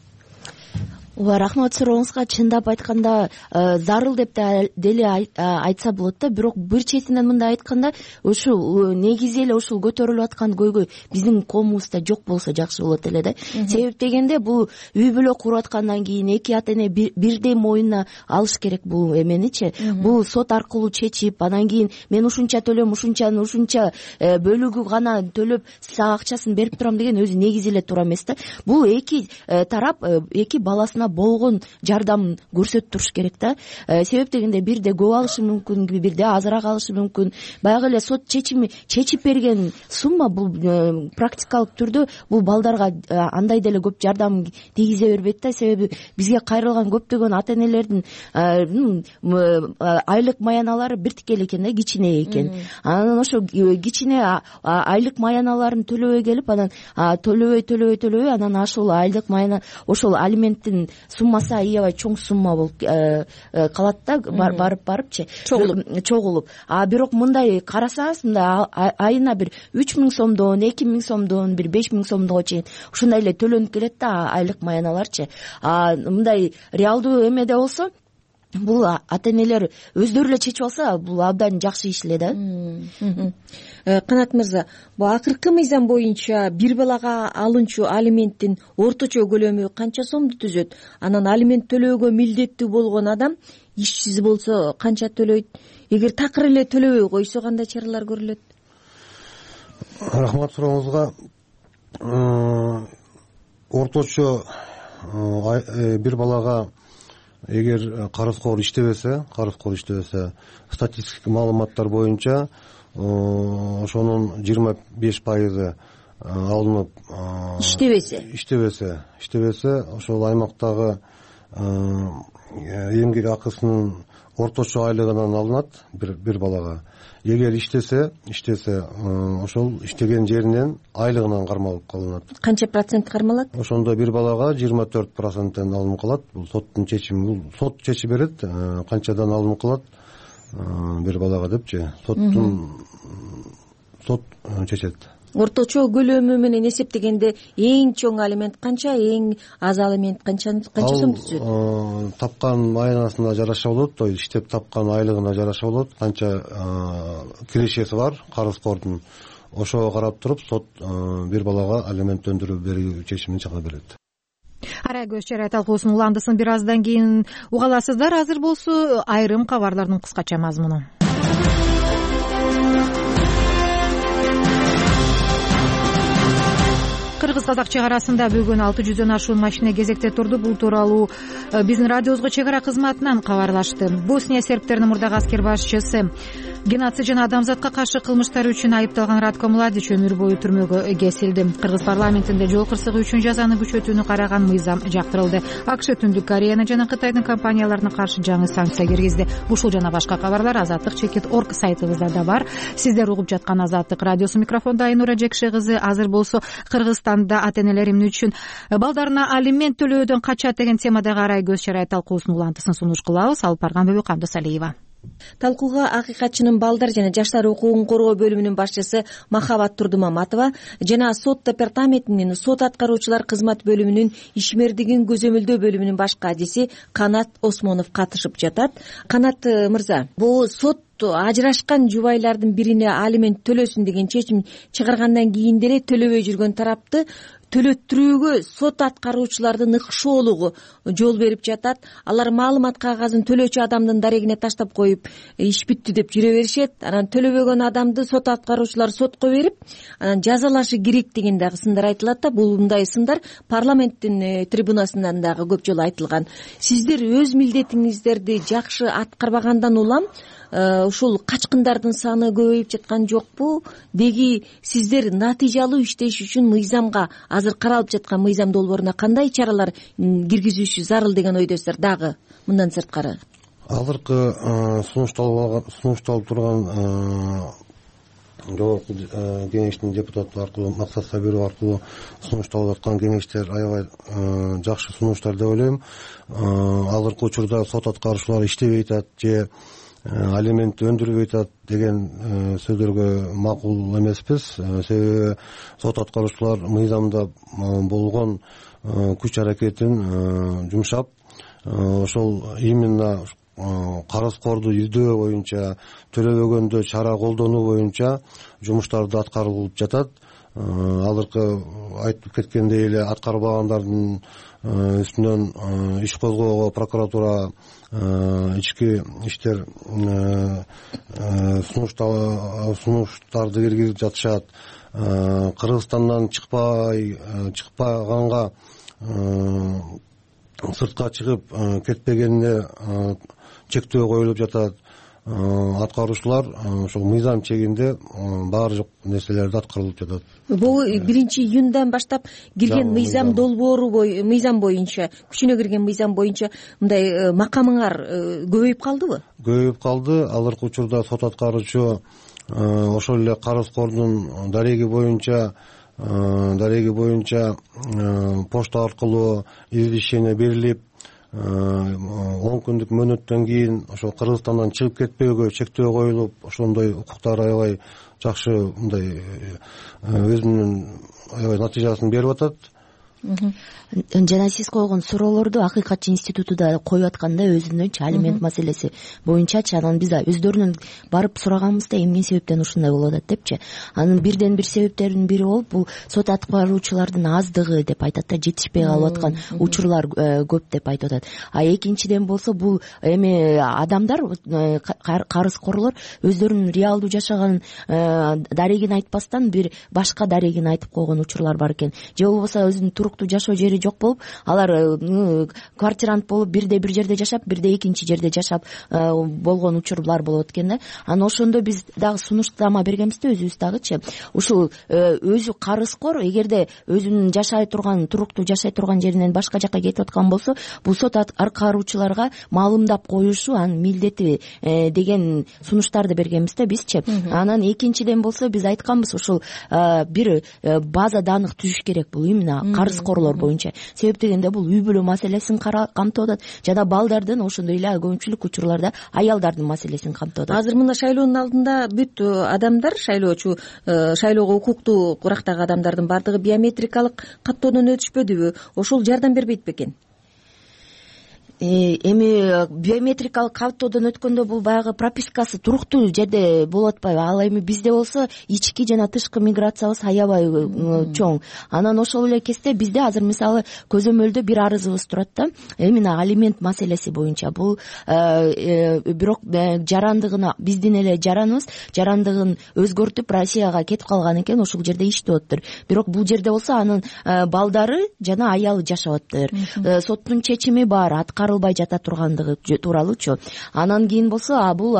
Ооба, рахмат сурооңузга. Чындап айтканда зарыл деп деле айтса болот да, бирок бир четинен мындай айтканда, ушул негизи эле ушул көтөрүлүп аткан көйгөй биздин коомубузда жок болсо жакшы болот эле да. Себеп дегенде бул үй бүлө куруп аткандан кийин эки ата эне бирдей моюнуна алыш керек бул эменичи. Бул сот аркылуу чечип, анан кийин мен ушунча төлөм, ушунчаны ушунча бөлүгү гана төлөп сага акчасын берип турам деген өзү негизи эле туура эмес да. Бул эки тарап эки баласына ана болгон жардамын көрсөтүп туруш керек да. Себеп дегенде бирде көп алышы мүмкүн, бирде азыраак алышы мүмкүн. Баягы эле сот чечими чечип берген сумма бул практикалык түрдө бул балдарга андай деле көп жардам тийгизе бербейт да. Себеби бизге кайрылган көптөгөн ата энелердин айлык маяналары биртикеле экен да, кичине экен. Анан ошо кичине айлык маяналарын төлөбөй келип, анан төлөбөй төлөбөй төлөбөй анан ошол айлык маяна ошол алименттин суммасы аябай чоң сумма болуп калат да, барып барыпчы чогулуп. А бирок мындай карасаңыз, мындай айына бир үч миң сомдон, эки миң сомдон, бир беш миң сомдого чейин ушундай эле төлөнүп келет да айлык маяналарчы. А мындай реалдуу эмеде болсо бул ата энелер өздөрү эле чечип алса, бул абдан жакшы иш эле да. Канат мырза, бул акыркы мыйзам боюнча бир балага алынчу алименттин орточо көлөмү канча сомду түзөт? Анан алимент төлөөгө милдеттүү болгон адам ишсиз болсо канча төлөйт? Эгер такыр эле төлөбөй койсо кандай чаралар көрүлөт? Рахмат сурооңузга. Орточо бир балага эгер карызкор иштебесе, карызкор иштебесе, статистикалык маалыматтар боюнча ошонун жыйырма беш пайызы алынып, иштебесе, иштебесе, иштебесе, ошол аймактагы эмгек акысынын орточо айлыгынан алынат бир балага. Эгер иштесе, иштесе, ошол иштеген жеринен айлыгынан кармалып калынат. Канча процент кармалат? Ошондо бир балага жыйырма төрт проценттен алынып калат. Бул соттун чечими, бул сот чечип берет, канчадан алынып калат бир балага депчи. Соттун сот чечет. Орточо көлөмү менен эсептегенде эң чоң алимент канча, эң аз алимент канча канча сом түзөт? Ал тапкан маянасына жараша болот, то есть иштеп тапкан айлыгына жараша болот, канча кирешеси бар карызкордун. Ошого карап туруп сот бир балага алимент өндүрүп берүү чечимин чыгарып берет. Арай көз чарай талкуусунун уландысын бир аздан кийин уга аласыздар. Азыр болсо айрым кабарлардын кыскача мазмуну. Кыргыз-казак чек арасында бүгүн алты жүздөн ашуун машина кезекте турду. Бул тууралуу биздин радиобузга чек ара кызматынан кабарлашты. Босния сербтеринин мурдагы аскер башчысы геноцид жана адамзатка каршы кылмыштар үчүн айыпталган Радко Младич өмүр бою түрмөгө кесилди. Кыргыз парламентинде жол кырсыгы үчүн жазаны күчөтүүнү караган мыйзам жактырылды. АКШ Түндүк Кореяны жана Кытайдын компанияларына каршы жаңы санкция киргизди. Ушул жана башка кабарлар азаттык чекит орг сайтыбызда да бар. Сиздер угуп жаткан Азаттык радиосу, микрофондо Айнура Жекше кызы. Азыр болсо Кыргызстанда ата энелер эмне үчүн балдарына алимент төлөөдөн качат деген темадагы арай көз чарай талкуусунун улантысын сунуш кылабыз. Алып барган Бөбөк Абдысалиева. Талкууга акыйкатчынын балдар жана жаштар укугун коргоо бөлүмүнүн башчысы Махабат Турдумаматова жана сот департаментинин сот аткаруучулар кызмат бөлүмүнүн ишмердигин көзөмөлдөө бөлүмүнүн баш кадиси Канат Осмонов катышып жатат. Канат мырза, бул сот ажырашкан жубайлардын бирине алимент төлөсүн деген чечим чыгаргандан кийин деле төлөбөй жүргөн тарапты төлөттүрүүгө сот аткаруучулардын ыкшоолугу жол берип жатат. Алар маалымат кагазын төлөөчү адамдын дарегине таштап коюп, иш бүттү деп жүрө беришет. Анан төлөбөгөн адамды сот аткаруучулар сотко берип, анан жазалашы керек деген дагы сындар айтылат да. Бул мындай сындар парламенттин трибунасынан дагы көп жолу айтылган. Сиздер өз милдетиңиздерди жакшы аткарбагандан улам ушул качкындардын саны көбөйүп жаткан жокпу? Деги сиздер натыйжалуу иштеш үчүн мыйзамга, азыр каралып жаткан мыйзам долбооруна кандай чаралар киргизүүшү зарыл деген ойдосуздар дагы мындан сырткары? Азыркы сунушталып турган жогорку кеңештин депутаты аркылуу, Максат Сабиров аркылуу сунушталып аткан кеңештер аябай жакшы сунуштар деп ойлойм. Азыркы учурда сот аткаруучулар иштебей атат же алимент өндүрбөй атат деген сөздөргө макул эмеспиз. Себеби сот аткаруучулар мыйзамда болгон күч аракетин жумшап, ошол именно карызкорду издөө боюнча, төлөбөгөндө чара колдонуу боюнча жумуштарды аткарылып жатат. Азыркы айтып кеткендей эле аткарбагандардын үстүнөн иш козгоого прокуратура ички иштер сунуштарды киргизип жатышат. Кыргызстандан чыкпай чыкпаганга сыртка чыгып кетпегенине чектөө коюлуп жатат. Аткаруучулар ошол мыйзам чегинде баары нерселерди аткарылып жатат. Бул биринчи июндан баштап кирген мыйзам долбоору мыйзам боюнча, күчүнө кирген мыйзам боюнча мындай макамыңар көбөйүп калдыбы? Көбөйүп калды. Азыркы учурда сот аткаруучу ошол эле карызкордун дареги боюнча дареги боюнча почта аркылуу извещение берилип, он күндүк мөөнөттөн кийин ошол Кыргызстандан чыгып кетпөөгө чектөө коюлуп, ошондой укуктар аябай жакшы мындай өзүнүн аябай натыйжасын берип атат. Жана сиз койгон суроолорду Акыйкатчы институту да коюп атканда өзүнүнчү алимент маселеси боюнчачы, анан биз өздөрүнүн барып сураганбызда эмне себептен ушундай болуп атат депчи. Анын бирден бир себептеринин бири болуп бул сот аткаруучулардын аздыгы деп айтат да, жетишпей калып аткан учурлар көп деп айтып атат. А экинчиден болсо бул эми адамдар, карызкорлор өздөрүнүн реалдуу жашаган дарегин айтпастан бир башка дарегин айтып койгон учурлар бар экен. Же болбосо өзүнүн туруктуу жашоо жери жок болуп, алар квартирант болуп бирде бир жерде жашап, бирде экинчи жерде жашап болгон учурлар болот экен да. Анан ошондо биз дагы сунуштама бергенбиз да, өзүбүз дагычы. Ушул өзү карызкор эгерде өзүнүн жашай турган, туруктуу жашай турган жеринен башка жакка кетип аткан болсо, бул сот аткаруучуларга маалымдап коюшу анын милдети деген сунуштарды бергенбиз да бизчи. Анан экинчиден болсо биз айтканбыз, ушул бир база данных түзүш керек бул именно карызкорлор боюнча. Себеп дегенде бул үй бүлө маселесин камтып атат жана балдардын, ошондой эле көпчүлүк учурларда аялдардын маселесин камтып атат. Азыр мына шайлоонун алдында бүт адамдар, шайлоочу, шайлоого укуктуу курактагы адамдардын баардыгы биометрикалык каттоодон өтүшпөдүбү? Ошол жардам бербейт бекен? Эми биометрикалык каттоодон өткөндө бул баягы пропискасы туруктуу жерде болуп атпайбы? Ал эми бизде болсо ички жана тышкы миграциябыз аябай чоң. Анан ошол эле кезде бизде азыр мисалы көзөмөлдө бир арызыбыз турат да, именно алимент маселеси боюнча. Бул бирок жарандыгына, биздин эле жараныбыз жарандыгын өзгөртүп Россияга кетип калган экен, ошол жерде иштеп атыптыр. Бирок бул жерде болсо анын балдары жана аялы жашап атыптыр. Соттун чечими бар, аткарылбай жата тургандыгы тууралуучу. Анан кийин болсо бул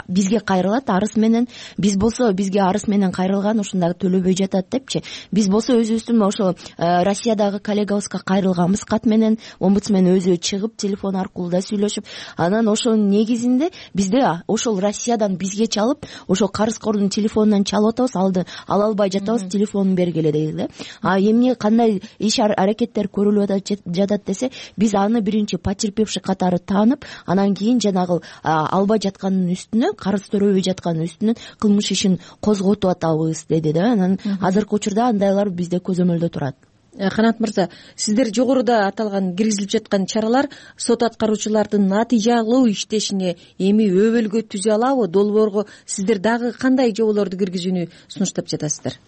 бизге кайрылат арыз менен. Биз болсо бизге арыз менен кайрылган, ушундагы төлөбөй жатат депчи. Биз болсо өзүбүздүн ошо Россиядагы коллегабызга кайрылганбыз кат менен. Омбудсмен өзү чыгып телефон аркылуу да сүйлөшүп, анан ошонун негизинде бизде ошол Россиядан бизге чалып, ошол карызкордун телефонунан чалып атабыз, алды ала албай жатабыз, телефонун бергиле дейт да. А эмне кандай иш аракеттер көрүлүп жатат десе, биз аны биринчи потерпевший катары таанып, анан кийин жанагы албай жатканын үстүнө, карыз төрөбөй жатканын үстүнөн кылмыш ишин козготуп атабыз деди да. Анан азыркы учурда андайлар бизде көзөмөлдө турат. Канат мырза, сиздер жогоруда аталган киргизилип жаткан чаралар сот аткаруучулардын натыйжалуу иштешине эми өбөлгө түзө алабы? Долбоорго сиздер дагы кандай жоболорду киргизүүнү сунуштап жатасыздар?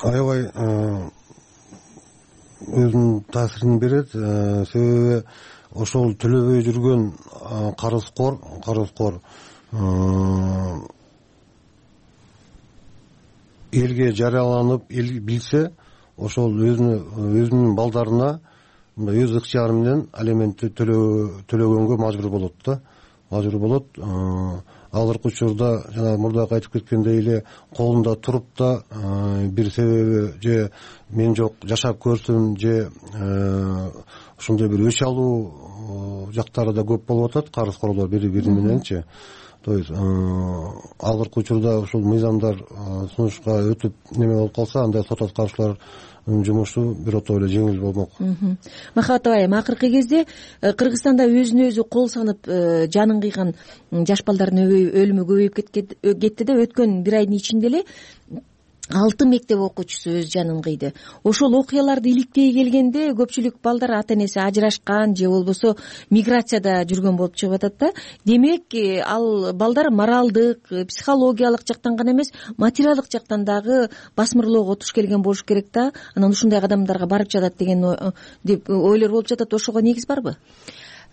Аябай өзүнүн таасирин берет. Себеби ошол төлөбөй жүргөн карызкор карызкор элге жарыяланып, эл билсе, ошол өзүнүн балдарына өз ыктыяры менен алиментти төлөгөнгө мажбур болот да, мажбур болот. Азыркы учурда жана мурдакы айтып кеткендей эле колунда туруп да бир себеби же мен жок жашап көрсүм, же ошондой бир өч алуу жактары да көп болуп атат, карызкорлор бири бири мененчи. То есть азыркы учурда ушул мыйзамдар сунушка өтүп неме болуп калса, андай сот аткаруучулар жумушу бирото эле жеңил болмок. Махабат абай, акыркы кезде Кыргызстанда өзүнө өзү кол санып жанын кыйган жаш балдардын өлүмү көбөйүп кетти да, өткөн бир айдын ичинде эле алты мектеп окуучусу өз жанын кыйды. Ошол окуяларды иликтей келгенде көпчүлүк балдар ата энеси ажырашкан же болбосо миграцияда жүргөн болуп чыгып атат да. Демек, ал балдар моралдык, психологиялык жактан гана эмес, материалдык жактан дагы басмырлоого туш келген болуш керек да. Анан ушундай кадамдарга барып жатат деген деп ойлор болуп жатат. Ошого негиз барбы?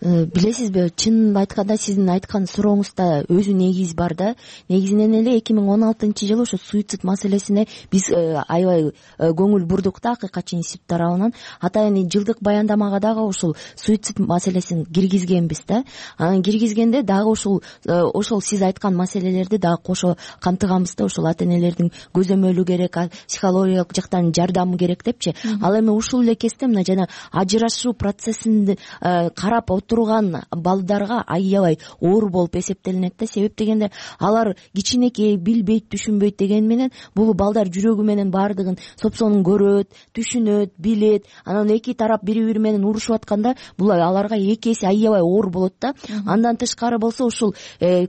билесизби, чынын айтканда сиздин айткан сурооңузда өзү негиз бар да. Негизинен эле эки миң он алтынчы жылы ошо суицид маселесине биз аябай көңүл бурдук да акыйкатчы институт тарабынан. Атайын жылдык баяндамага дагы ушул суицид маселесин киргизгенбиз да. Анан киргизгенде дагы ушул ошол сиз айткан маселелерди дагы кошо камтыганбыз да. Ошол ата энелердин көзөмөлү керек, психологиялык жактан жардамы керек депчи. Ал эми ушул эле кезде мына жана ажырашуу процессин карап отурган балдарга аябай оор болуп эсептелинет да. Себеп дегенде алар кичинекей, билбейт, түшүнбөйт деген менен бул балдар жүрөгү менен баардыгын сопсонун көрөт, түшүнөт, билет. Анан эки тарап бири-бири менен урушуп атканда бул аларга эки эсе аябай оор болот да. Андан тышкары болсо ушул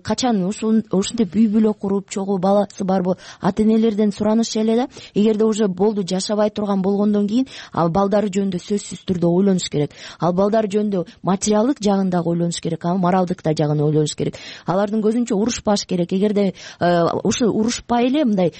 качан ушул ушинтип үй бүлө куруп чогуу баласы барбы ата энелерден сураныш эле да. Эгерде уже болду жашабай турган болгондон кийин ал балдары жөнүндө сөзсүз түрдө ойлонуш керек. Ал балдар жөнүндө материалдык жагын дагы ойлонуш керек, а моралдык да жагын ойлонуш керек. Алардын көзүнчө урушпаш керек. Эгерде ушу урушпай эле мындай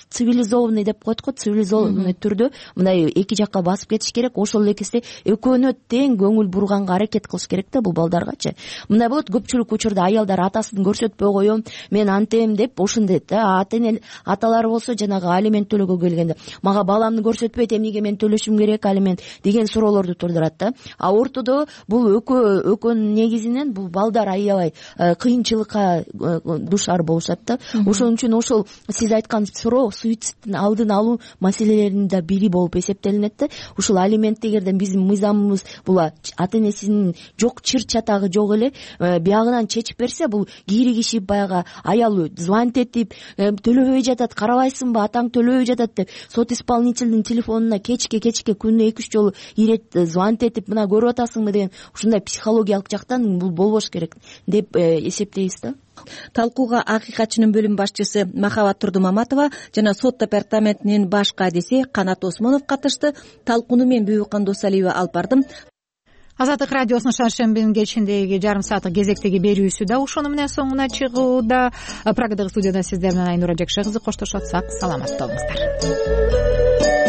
цивилизованный деп коет го, цивилизованный түрдө мындай эки жакка басып кетиш керек. Ошол эле кезде экөөнө тең көңүл бурганга аракет кылыш керек да бул балдаргачы. Мындай болот, көпчүлүк учурда аялдар атасын көрсөтпөй коем, мен антем деп ошондойт да. Ата эне аталар болсо жанагы алимент төлөөгө келгенде мага баламды көрсөтпөйт, эмнеге мен төлөшүм керек алимент деген суроолорду туудурат да. А ортодо бул экөө экөөнүн негизинен бул балдар аябай кыйынчылыкка душар болушат да. Ошон үчүн ошол сиз айткан суроо суицидтин алдын алуу маселелеринин да бири болуп эсептелинет да. Ушул алимент дегенде биздин мыйзамыбыз бул ата энесинин жок чыр чатагы жок эле биягынан чечип берсе, бул кииригишип баягы аял звонить этип төлөбөй жатат, карабайсыңбы, атаң төлөбөй жатат деп сот исполнительдин телефонуна кечке кечке күнүнө эки үч жолу ирет звонить этип мына көрүп атасыңбы деген ушундай психологиялык жактан бул болбош керек деп эсептейбиз да. Талкууга акыйкатчынын бөлүм башчысы Махабат Турдумаматова жана сот департаментинин баш кадиси Канат Осмонов катышты. Талкууну мен Бүйүкан Досалиева алып бардым. Азаттык радиосунун шаршембинин кечиндеги жарым сааттык кезектеги берүүсү да ошону менен соңуна чыгууда. Прагадагы студияда сиздер менен Айнура Жакшы кызы коштошуп атсак, саламатта болуңуздар.